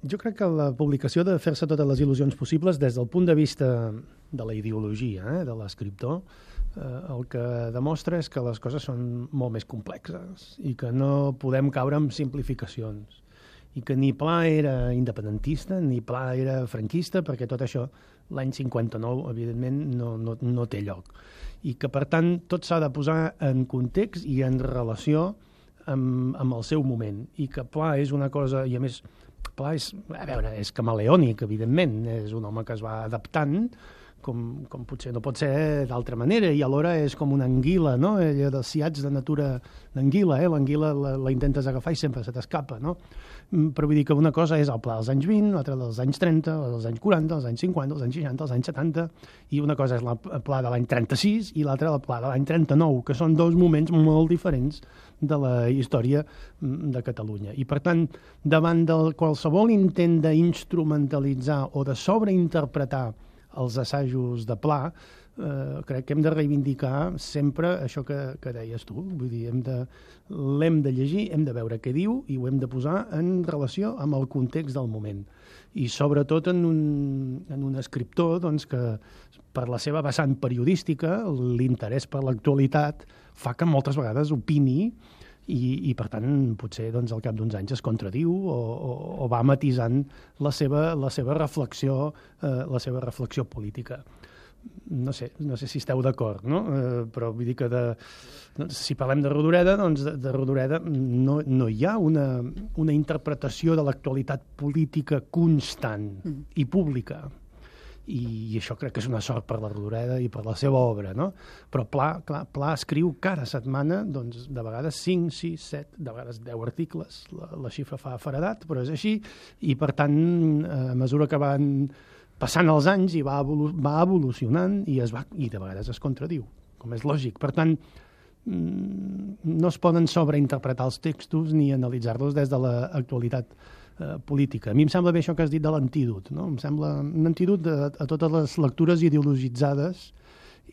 Jo crec que la publicació de fer-se totes les il·lusions possibles des del punt de vista de la ideologia de l'escriptor, el que demostra és que les coses són molt més complexes i que no podem caure en simplificacions i que ni Pla era independentista ni Pla era franquista, perquè tot això l'any 59 evidentment no té lloc, i que per tant tot s'ha de posar en context i en relació amb el seu moment, i que Pla és una cosa, i a més Pla és camaleònic, evidentment, és un home que es va adaptant com potser no pot ser d'altra manera, i alhora és com una anguila, no? Ella dels ciats de natura d'anguila, l'anguila la intentes agafar i sempre se t'escapa, no? Però vull dir que una cosa és el pla dels anys 20, l'altra dels anys 30, dels anys 40, dels anys 50, dels anys 60, dels anys 70, i una cosa és el pla de l'any 36 i l'altra el pla de l'any 39, que són dos moments molt diferents de la història de Catalunya. I, per tant, davant de qualsevol intent d'instrumentalitzar o de sobreinterpretar els assajos de Pla, crec que hem de reivindicar sempre això que deies tu. Vull dir, l'hem de llegir, hem de veure què diu i ho hem de posar en relació amb el context del moment. I sobretot en un escriptor doncs, que per la seva vessant periodística, l'interès per l'actualitat fa que moltes vegades opini i per tant, potser doncs, al cap d'uns anys es contradiu o va matisant la seva reflexió política. No sé si esteu d'acord, no? Però vull dir que si parlem de Rodoreda, doncs de Rodoreda no hi ha una interpretació de l'actualitat política constant i pública. I això crec que és una sort per la Rodoreda i per la seva obra, no? Però Pla escriu cada setmana, doncs, de vegades 5, 6, 7, de vegades 10 articles. La xifra fa feredat, però és així, i per tant, a mesura que van passant els anys i va evolucionant i de vegades es contradiu, com és lògic. Per tant, no es poden sobreinterpretar els textos ni analitzar-los des de l'actualitat política. A mi em sembla bé això que has dit de l'antídot, no? Em sembla un antídot a totes les lectures ideologitzades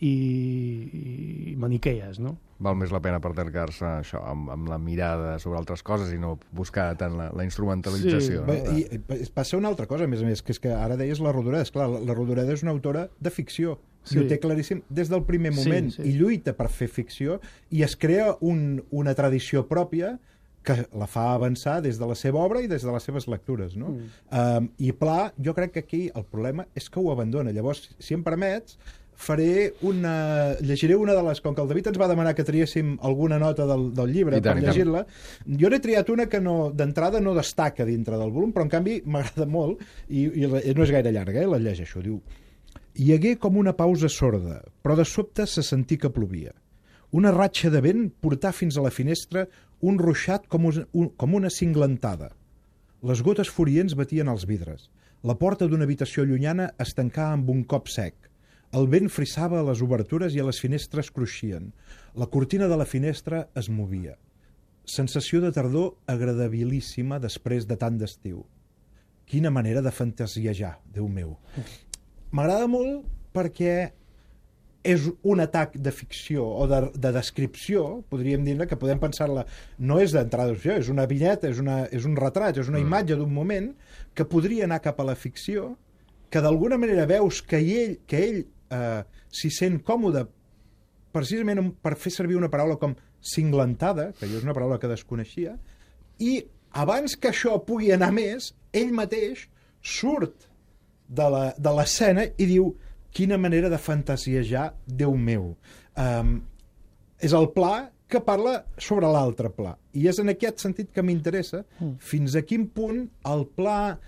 i maniquees, no? Val més la pena pertercar-se això amb la mirada sobre altres coses i no buscar tant la instrumentalització. Sí. I passa una altra cosa, a més, que és que ara deies la Rodoreda. Esclar, la Rodoreda és una autora de ficció. Sí. I ho té claríssim des del primer moment. I lluita per fer ficció i es crea una tradició pròpia que la fa avançar des de la seva obra i des de les seves lectures, no? I Pla, jo crec que aquí el problema és que ho abandona. Llavors, si em permets, llegiré una de les... Com que el David ens va demanar que triéssim alguna nota del llibre per llegir-la, jo n'he triat una que d'entrada no destaca dintre del volum, però en canvi m'agrada molt i no és gaire llarga, la llegeixo. Diu: hi hagué com una pausa sorda, però de sobte se sentí que plovia. Una ratxa de vent portà fins a la finestra un ruixat com una cinglentada. Les gotes furients batien als vidres. La porta d'una habitació llunyana es tancà amb un cop sec. El vent frissava a les obertures i a les finestres cruixien. La cortina de la finestra es movia. Sensació de tardor agradabilíssima després de tant d'estiu. Quina manera de fantasiejar, Déu meu. M'agrada molt perquè és un atac de ficció o de descripció, podríem dir que podem pensar-la, no és d'entrada, és una vinyeta, és un retrat, és una imatge d'un moment que podria anar cap a la ficció, que d'alguna manera veus que ell s'hi sent còmode precisament per fer servir una paraula com cinglentada, que jo és una paraula que desconeixia, i abans que això pugui anar més, ell mateix surt de l'escena i diu: quina manera de fantasiejar, Déu meu. És el Pla que parla sobre l'altre Pla. I és en aquest sentit que m'interessa fins a quin punt el Pla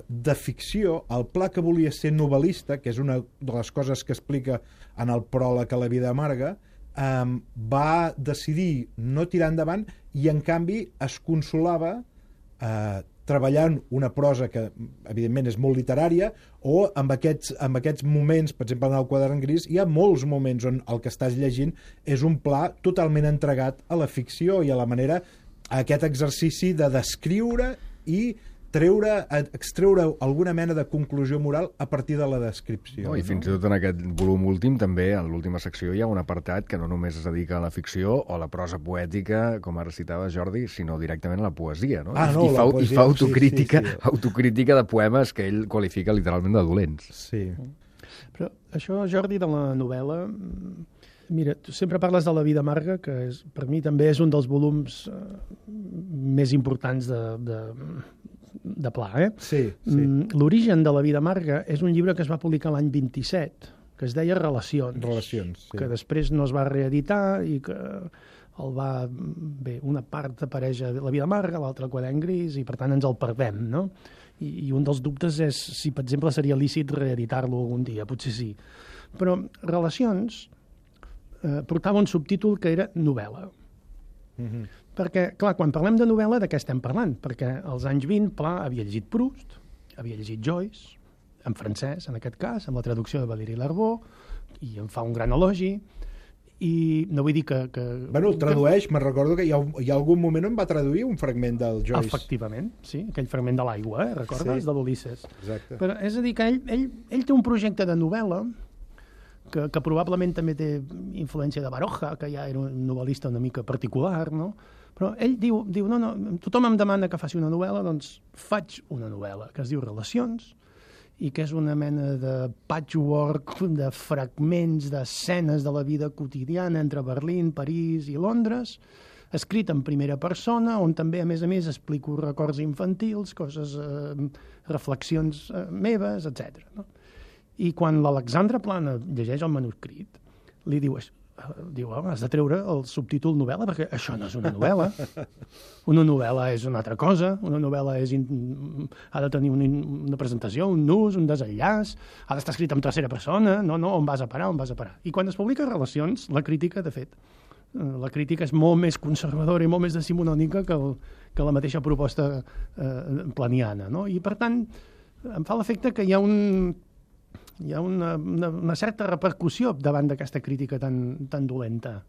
de ficció, el Pla que volia ser novel·lista, que és una de les coses que explica en el pròleg a La vida amarga, va decidir no tirar endavant i en canvi es consolava treballant una prosa que evidentment és molt literària, o amb aquests moments, per exemple en el Quadern gris hi ha molts moments on el que estàs llegint és un Pla totalment entregat a la ficció i a la manera, a aquest exercici de descriure i extreure alguna mena de conclusió moral a partir de la descripció. I fins i tot en aquest volum últim també, en l'última secció, hi ha un apartat que no només es dedica a la ficció o a la prosa poètica, com ara citava Jordi, sinó directament a la poesia, no? I fa autocrítica de poemes que ell qualifica literalment de dolents. Sí. Però això, Jordi, de la novel·la... Mira, tu sempre parles de La vida amarga, que per mi també és un dels volums més importants de Pla, Sí. L'origen de La vida amarga és un llibre que es va publicar l'any 27, que es deia Relacions, que després no es va reeditar i que una part apareix a La vida amarga, l'altra Quadern gris, i per tant ens el perdem, no? I un dels dubtes és si, per exemple, seria lícit reeditar-lo algun dia, potser sí. Però Relacions portava un subtítol que era novel·la. Perquè, clar, quan parlem de novel·la, de què estem parlant? Perquè als anys 20, Pla havia llegit Proust, havia llegit Joyce, en francès, en aquest cas, amb la traducció de Valéry Larbó, i en fa un gran elogi, i no vull dir que... Bueno, el tradueix, me'n recordo que hi ha algun moment on va traduir un fragment del Joyce. Efectivament, sí, aquell fragment de l'aigua, recordes? Sí. De l'Ulisses. Exacte. Però, és a dir, que ell té un projecte de novel·la que probablement també té influència de Baroja, que ja era un novel·lista una mica particular, no? Però ell diu no, tothom em demana que faci una novel·la, doncs faig una novel·la que es diu Relacions, i que és una mena de patchwork de fragments, d'escenes de la vida quotidiana entre Berlín, París i Londres, escrit en primera persona, on també, a més, explico records infantils, coses, reflexions meves, etc. No? I quan l'Alexandre Plana llegeix el manuscrit, li diu, has de treure el subtítol novel·la, perquè això no és una novel·la. Una novel·la és una altra cosa, una novel·la ha de tenir una presentació, un nus, un desenllaç, ha d'estar escrit en tercera persona, no, on vas a parar. I quan es publica Relacions, la crítica, de fet, la crítica és molt més conservadora i molt més decimonònica que la mateixa proposta planiana, no? I, per tant, em fa l'efecte que hi ha una certa repercussió davant d'aquesta crítica tan dolenta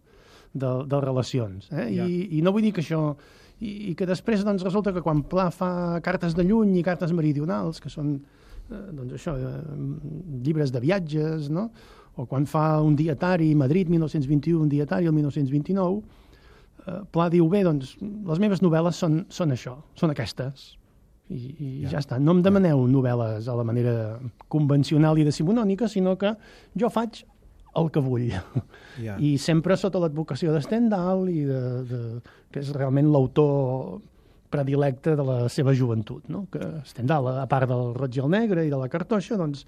de Relacions. I no vull dir que això... I que després doncs, resulta que quan Pla fa cartes de lluny i cartes meridionals, que són llibres de viatges, no? O quan fa un dietari, Madrid 1921, un dietari el 1929, Pla diu, bé, doncs, les meves novel·les són això, són aquestes. I ja està. No em demaneu novel·les a la manera convencional i decimonònica, sinó que jo faig el que vull. I sempre sota l'advocació de Stendhal, que és realment l'autor predilecte de la seva joventut. No? Que Stendhal, a part del Roig i el Negre i de la Cartoixa, doncs,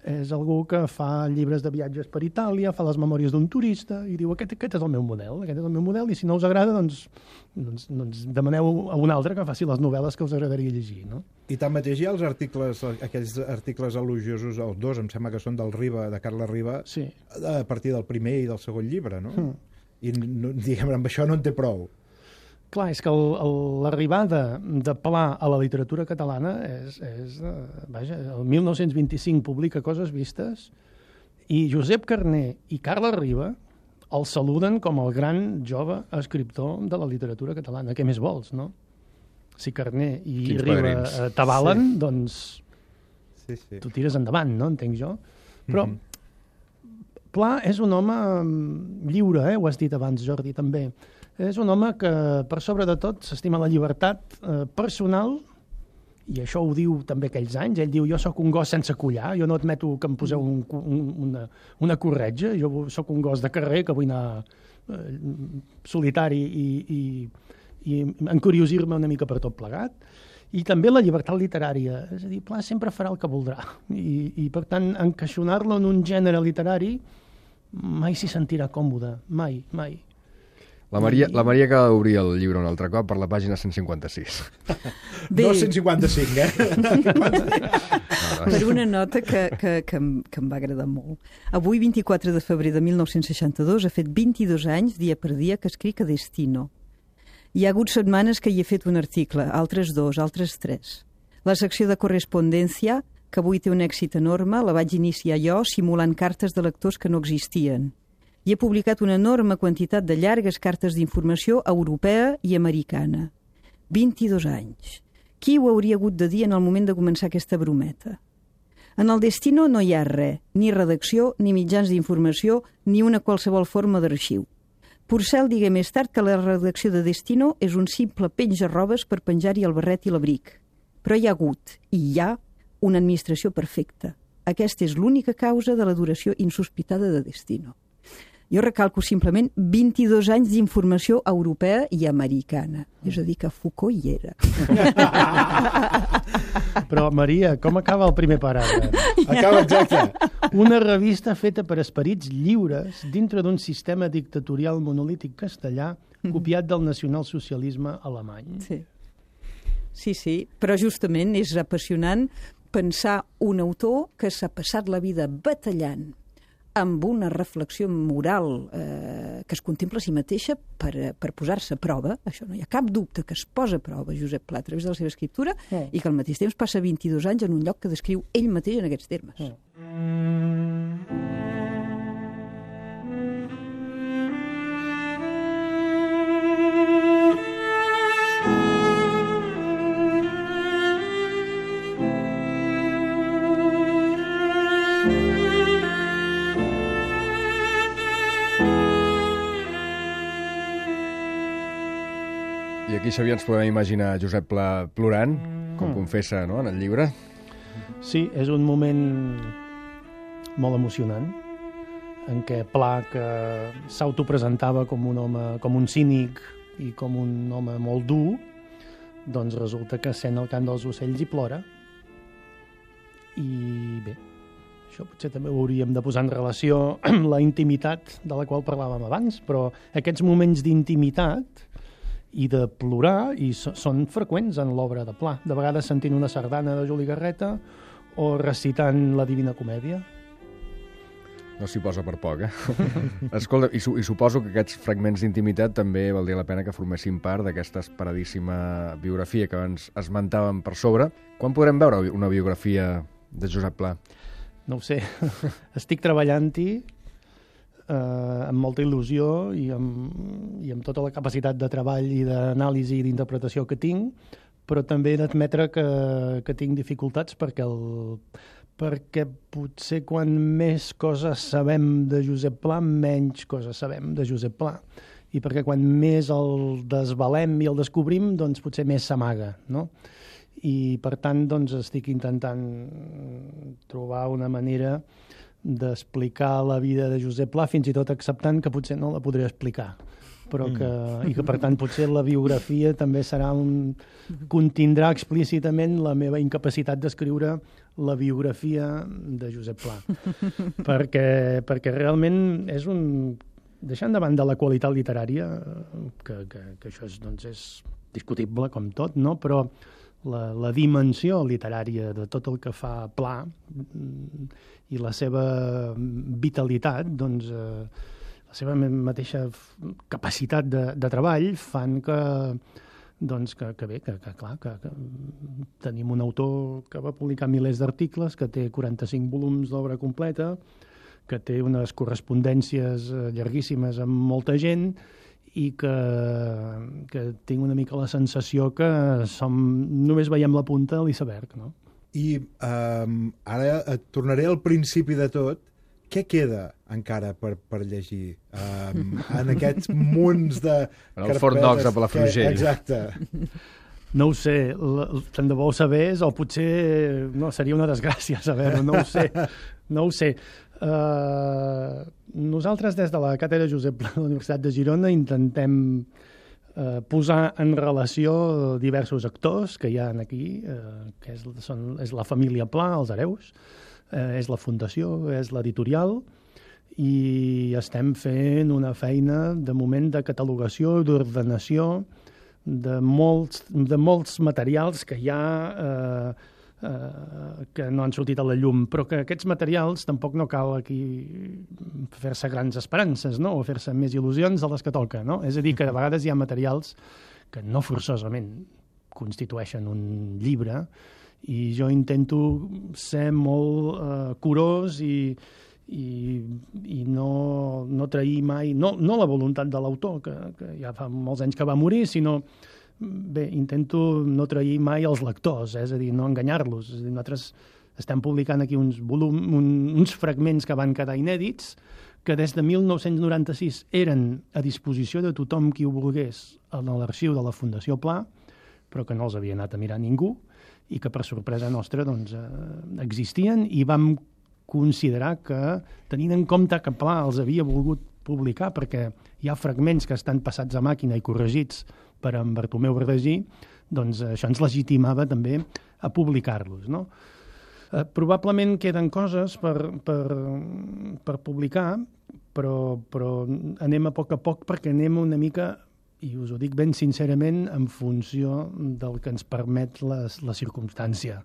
és algú que fa llibres de viatges per Itàlia, fa les memòries d'un turista i diu, aquest és el meu model, i si no us agrada, doncs demaneu a un altre que faci les novel·les que us agradaria llegir. No? I tanmateix hi ha aquells articles elogiosos, els dos, em sembla que són del Riba, de Carles Riba, sí, a partir del primer i del segon llibre, no? I diguem, amb això no en té prou. Clar, és que l'arribada de Pla a la literatura catalana és vaja, el 1925 publica Coses vistes i Josep Carner i Carles Riba el saluden com el gran jove escriptor de la literatura catalana. Què més vols, no? Si Carner i Riba t'avalen, doncs tu tires endavant, no? Entenc jo. Però Pla és un home lliure, ho has dit abans, Jordi, també. És un home que, per sobre de tot, s'estima la llibertat personal, i això ho diu també aquells anys. Ell diu, jo sóc un gos sense collar, jo no admeto que em poseu una corretja, jo sóc un gos de carrer que vull anar solitari i encuriosir-me una mica per tot plegat. I també la llibertat literària. És a dir, Pla sempre farà el que voldrà. I per tant, encaixonar-lo en un gènere literari mai s'hi sentirà còmode. Mai. La Maria acaba d'obrir el llibre un altre cop per la pàgina 156. No 155, Per una nota que em va agradar molt. Avui, 24 de febrer de 1962, ha fet 22 anys, dia per dia, que escric a Destino. Hi ha hagut setmanes que hi he fet un article, altres 2, altres 3. La secció de correspondència, que avui té un èxit enorme, la vaig iniciar jo simulant cartes de lectors que no existien. I he publicat una enorme quantitat de llargues cartes d'informació europea i americana. 22 anys. Qui ho hauria hagut de dir en el moment de començar aquesta brometa? En el Destino no hi ha res, ni redacció, ni mitjans d'informació, ni una qualsevol forma d'arxiu. Porcel digué més tard que la redacció de Destino és un simple penja-robes per penjar-hi el barret i l'abric. Però hi ha hagut, i hi ha, una administració perfecta. Aquesta és l'única causa de la duració insospitada de Destino. Jo recalco simplement 22 anys d'informació europea i americana. És a dir, que Foucault hi era. Però, Maria, com acaba el primer paràgraf? Acaba exacte. Una revista feta per esperits lliures dintre d'un sistema dictatorial monolític castellà copiat del nacionalsocialisme alemany. Sí. Sí, però justament és apassionant pensar un autor que s'ha passat la vida batallant amb una reflexió moral que es contempla a si mateixa per posar-se a prova. Això no hi ha cap dubte que es posa a prova Josep Pla a través de la seva escriptura i que al mateix temps passa 22 anys en un lloc que descriu ell mateix en aquests termes. I aquí, Xavier, ens podem imaginar Josep Pla plorant, com confessa, no?, en el llibre. Sí, és un moment molt emocionant, en què Pla, que s'autopresentava com un home, com un cínic i com un home molt dur, doncs resulta que sent el cant dels ocells i plora. I bé, això potser també ho hauríem de posar en relació amb la intimitat de la qual parlàvem abans, però aquests moments d'intimitat i de plorar són freqüents en l'obra de Pla. De vegades sentint una sardana de Juli Garreta o recitant la Divina Comèdia. No s'hi posa per poc, Escolta, i suposo que aquests fragments d'intimitat també valdria la pena que formessin part d'aquesta esperadíssima biografia que abans esmentàvem per sobre. Quan podrem veure una biografia de Josep Pla? No ho sé. Estic treballant-hi amb molta il·lusió i amb tota la capacitat de treball i d'anàlisi i d'interpretació que tinc, però també he d'admetre que tinc dificultats perquè potser quan més coses sabem de Josep Pla, menys coses sabem de Josep Pla. I perquè quan més el desvalem i el descobrim, doncs potser més s'amaga, no? I per tant, doncs, estic intentant trobar una manera d'explicar la vida de Josep Pla, fins i tot acceptant que potser no la podré explicar, però i que per tant potser la biografia també contindrà explícitament la meva incapacitat d'escriure la biografia de Josep Pla. perquè realment és deixant de banda la qualitat literària, que això és discutible com tot, no? Però la dimensió literària de tot el que fa Pla i la seva vitalitat, doncs, la seva mateixa capacitat de treball fan que tenim un autor que va publicar milers d'articles, que té 45 volums d'obra completa, que té unes correspondències llarguíssimes amb molta gent i que tinc una mica la sensació que només veiem la punta de l'iceberg, no? I ara et tornaré al principi de tot. Què queda encara per llegir en aquests munts de carpetes? El Fort Knox a Palafrugell. Exacte. No ho sé, tant de bo ho sabés, o potser seria una desgràcia saber-ho, no ho sé. Nosaltres des de la càtedra Josep Pla de la Universitat de Girona intentem posar en relació diversos actors que hi ha aquí, que és la família Pla, els hereus, és la fundació, és l'editorial, i estem fent una feina de moment de catalogació, d'ordenació de molts materials que hi ha que no han sortit a la llum, però que aquests materials tampoc no cal aquí fer-se grans esperances, no? O fer-se més il·lusions de les que toca, no? És a dir, que de vegades hi ha materials que no forçosament constitueixen un llibre, i jo intento ser molt curós i no trair mai, no la voluntat de l'autor, que ja fa molts anys que va morir, sinó intento no trair mai els lectors, és a dir, no enganyar-los. És a dir, nosaltres estem publicant aquí uns fragments que van quedar inèdits, que des de 1996 eren a disposició de tothom qui ho volgués a l'arxiu de la Fundació Pla, però que no els havia anat a mirar ningú, i que per sorpresa nostra doncs, existien, i vam considerar que, tenint en compte que Pla els havia volgut publicar, perquè hi ha fragments que estan passats a màquina i corregits per en Bartomeu Verdagí, doncs això ens legitimava també a publicar-los, no? Probablement queden coses per publicar, però anem a poc perquè anem una mica i us ho dic ben sincerament en funció del que ens permet la circumstància.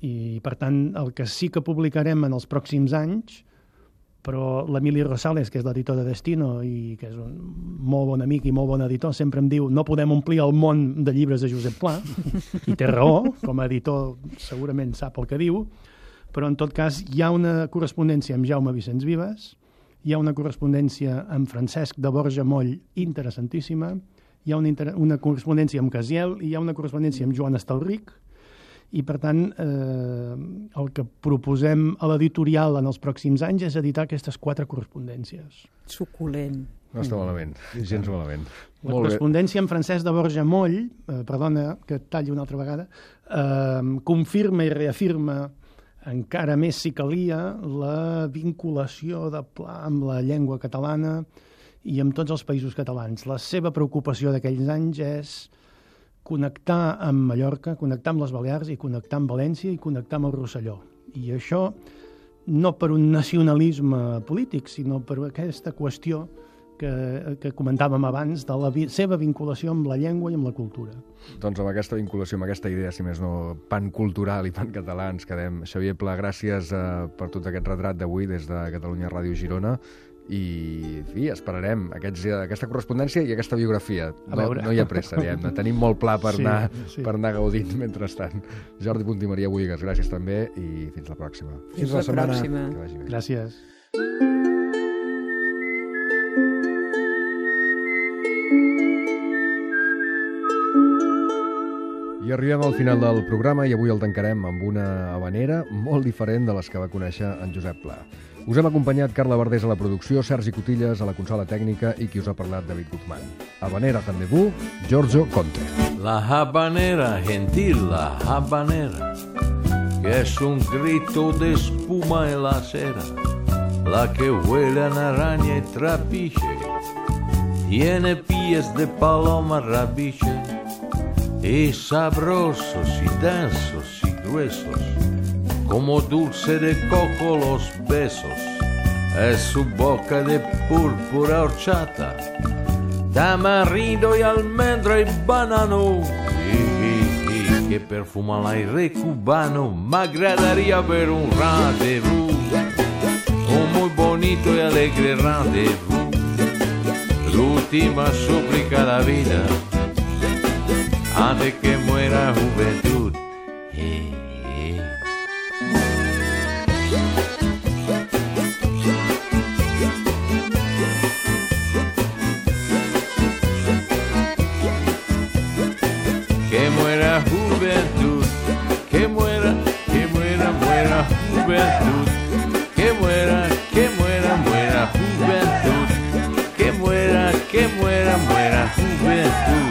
I, per tant, el que sí que publicarem en els pròxims anys, però l'Emili Rosales, que és l'editor de Destino i que és un molt bon amic i molt bon editor, sempre em diu no podem omplir el món de llibres de Josep Pla, i té raó, com a editor segurament sap el que diu, però en tot cas hi ha una correspondència amb Jaume Vicenç Vives, hi ha una correspondència amb Francesc de Borja Moll interessantíssima, hi ha una correspondència amb Casiel i hi ha una correspondència amb Joan Estalric, i, per tant, el que proposem a l'editorial en els pròxims anys és editar aquestes 4 correspondències. Suculent. No està malament, gens malament. La correspondència amb Francesc de Borja Moll, perdona que et talli una altra vegada, confirma i reafirma encara més, si calia, la vinculació de Pla amb la llengua catalana i amb tots els països catalans. La seva preocupació d'aquells anys és connectar amb Mallorca, connectar amb les Balears i connectar amb València i connectar amb el Rosselló. I això no per un nacionalisme polític, sinó per aquesta qüestió que comentàvem abans de la seva vinculació amb la llengua i amb la cultura. Doncs amb aquesta vinculació, amb aquesta idea, si més no, pan cultural i pan català, ens quedem. Xavier Pla, gràcies per tot aquest retrat d'avui des de Catalunya Ràdio Girona. I, en fi, esperarem aquesta correspondència i aquesta biografia. No hi ha pressa, diguem-ne. Tenim molt pla per anar gaudint mentrestant. Jordi Punt i Maria Buïgas, gràcies també i fins la pròxima. Fins la pròxima. Gràcies. I arribem al final del programa i avui el tancarem amb una habanera molt diferent de les que va conèixer en Josep Pla. Us hem acompanyat Carla Verdés a la producció, Sergi Cotillas a la consola tècnica i qui us ha parlat, David Guzmán. Habanera Rendezvous, Giorgio Conte. La habanera, gentil, la habanera, que es un grito de espuma en la acera, la que huele a araña y trapiche, tiene pies de paloma rabiche, y sabrosos y densos y gruesos, como dulce de coco los besos, es su boca de púrpura horchata, tamarindo y almendra y banano, y que perfuma l'aire cubano. M'agradaría ver un rendezvous, un muy bonito y alegre rendezvous, l'última súplica de la vida, antes que muera juventud. Que muera juventud, que muera, muera juventud, que muera, muera juventud, que muera, muera juventud.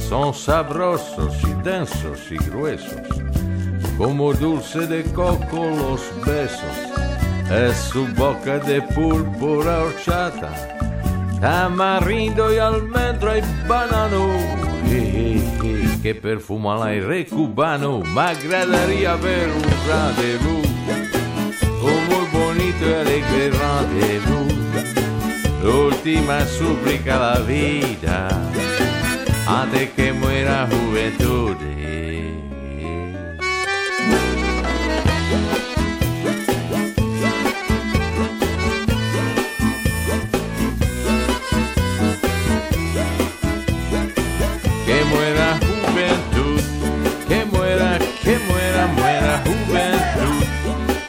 Son sabrosos y densos y gruesos, como dulce de coco los besos, es su boca de púrpura horchata, tamarindo y almendra y banano, que perfuma l'aire cubano. M'agradaría ver un rendezvous, un muy bonito y alegre rendezvous, l'última súplica de la vida, antes que muera juventud. Que muera juventud, que muera, muera juventud,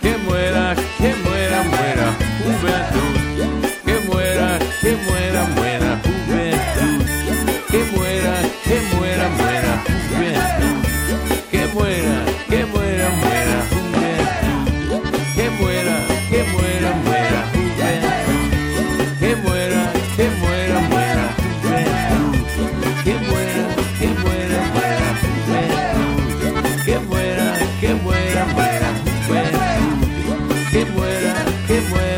que muera, muera juventud, que muera, muera juventud, que muera, muera juventud, que muera, muera juventud, que muera, muera juventud, que muera, muera juventud, que muera, muera juventud, que muera, muera juventud, que muera, muera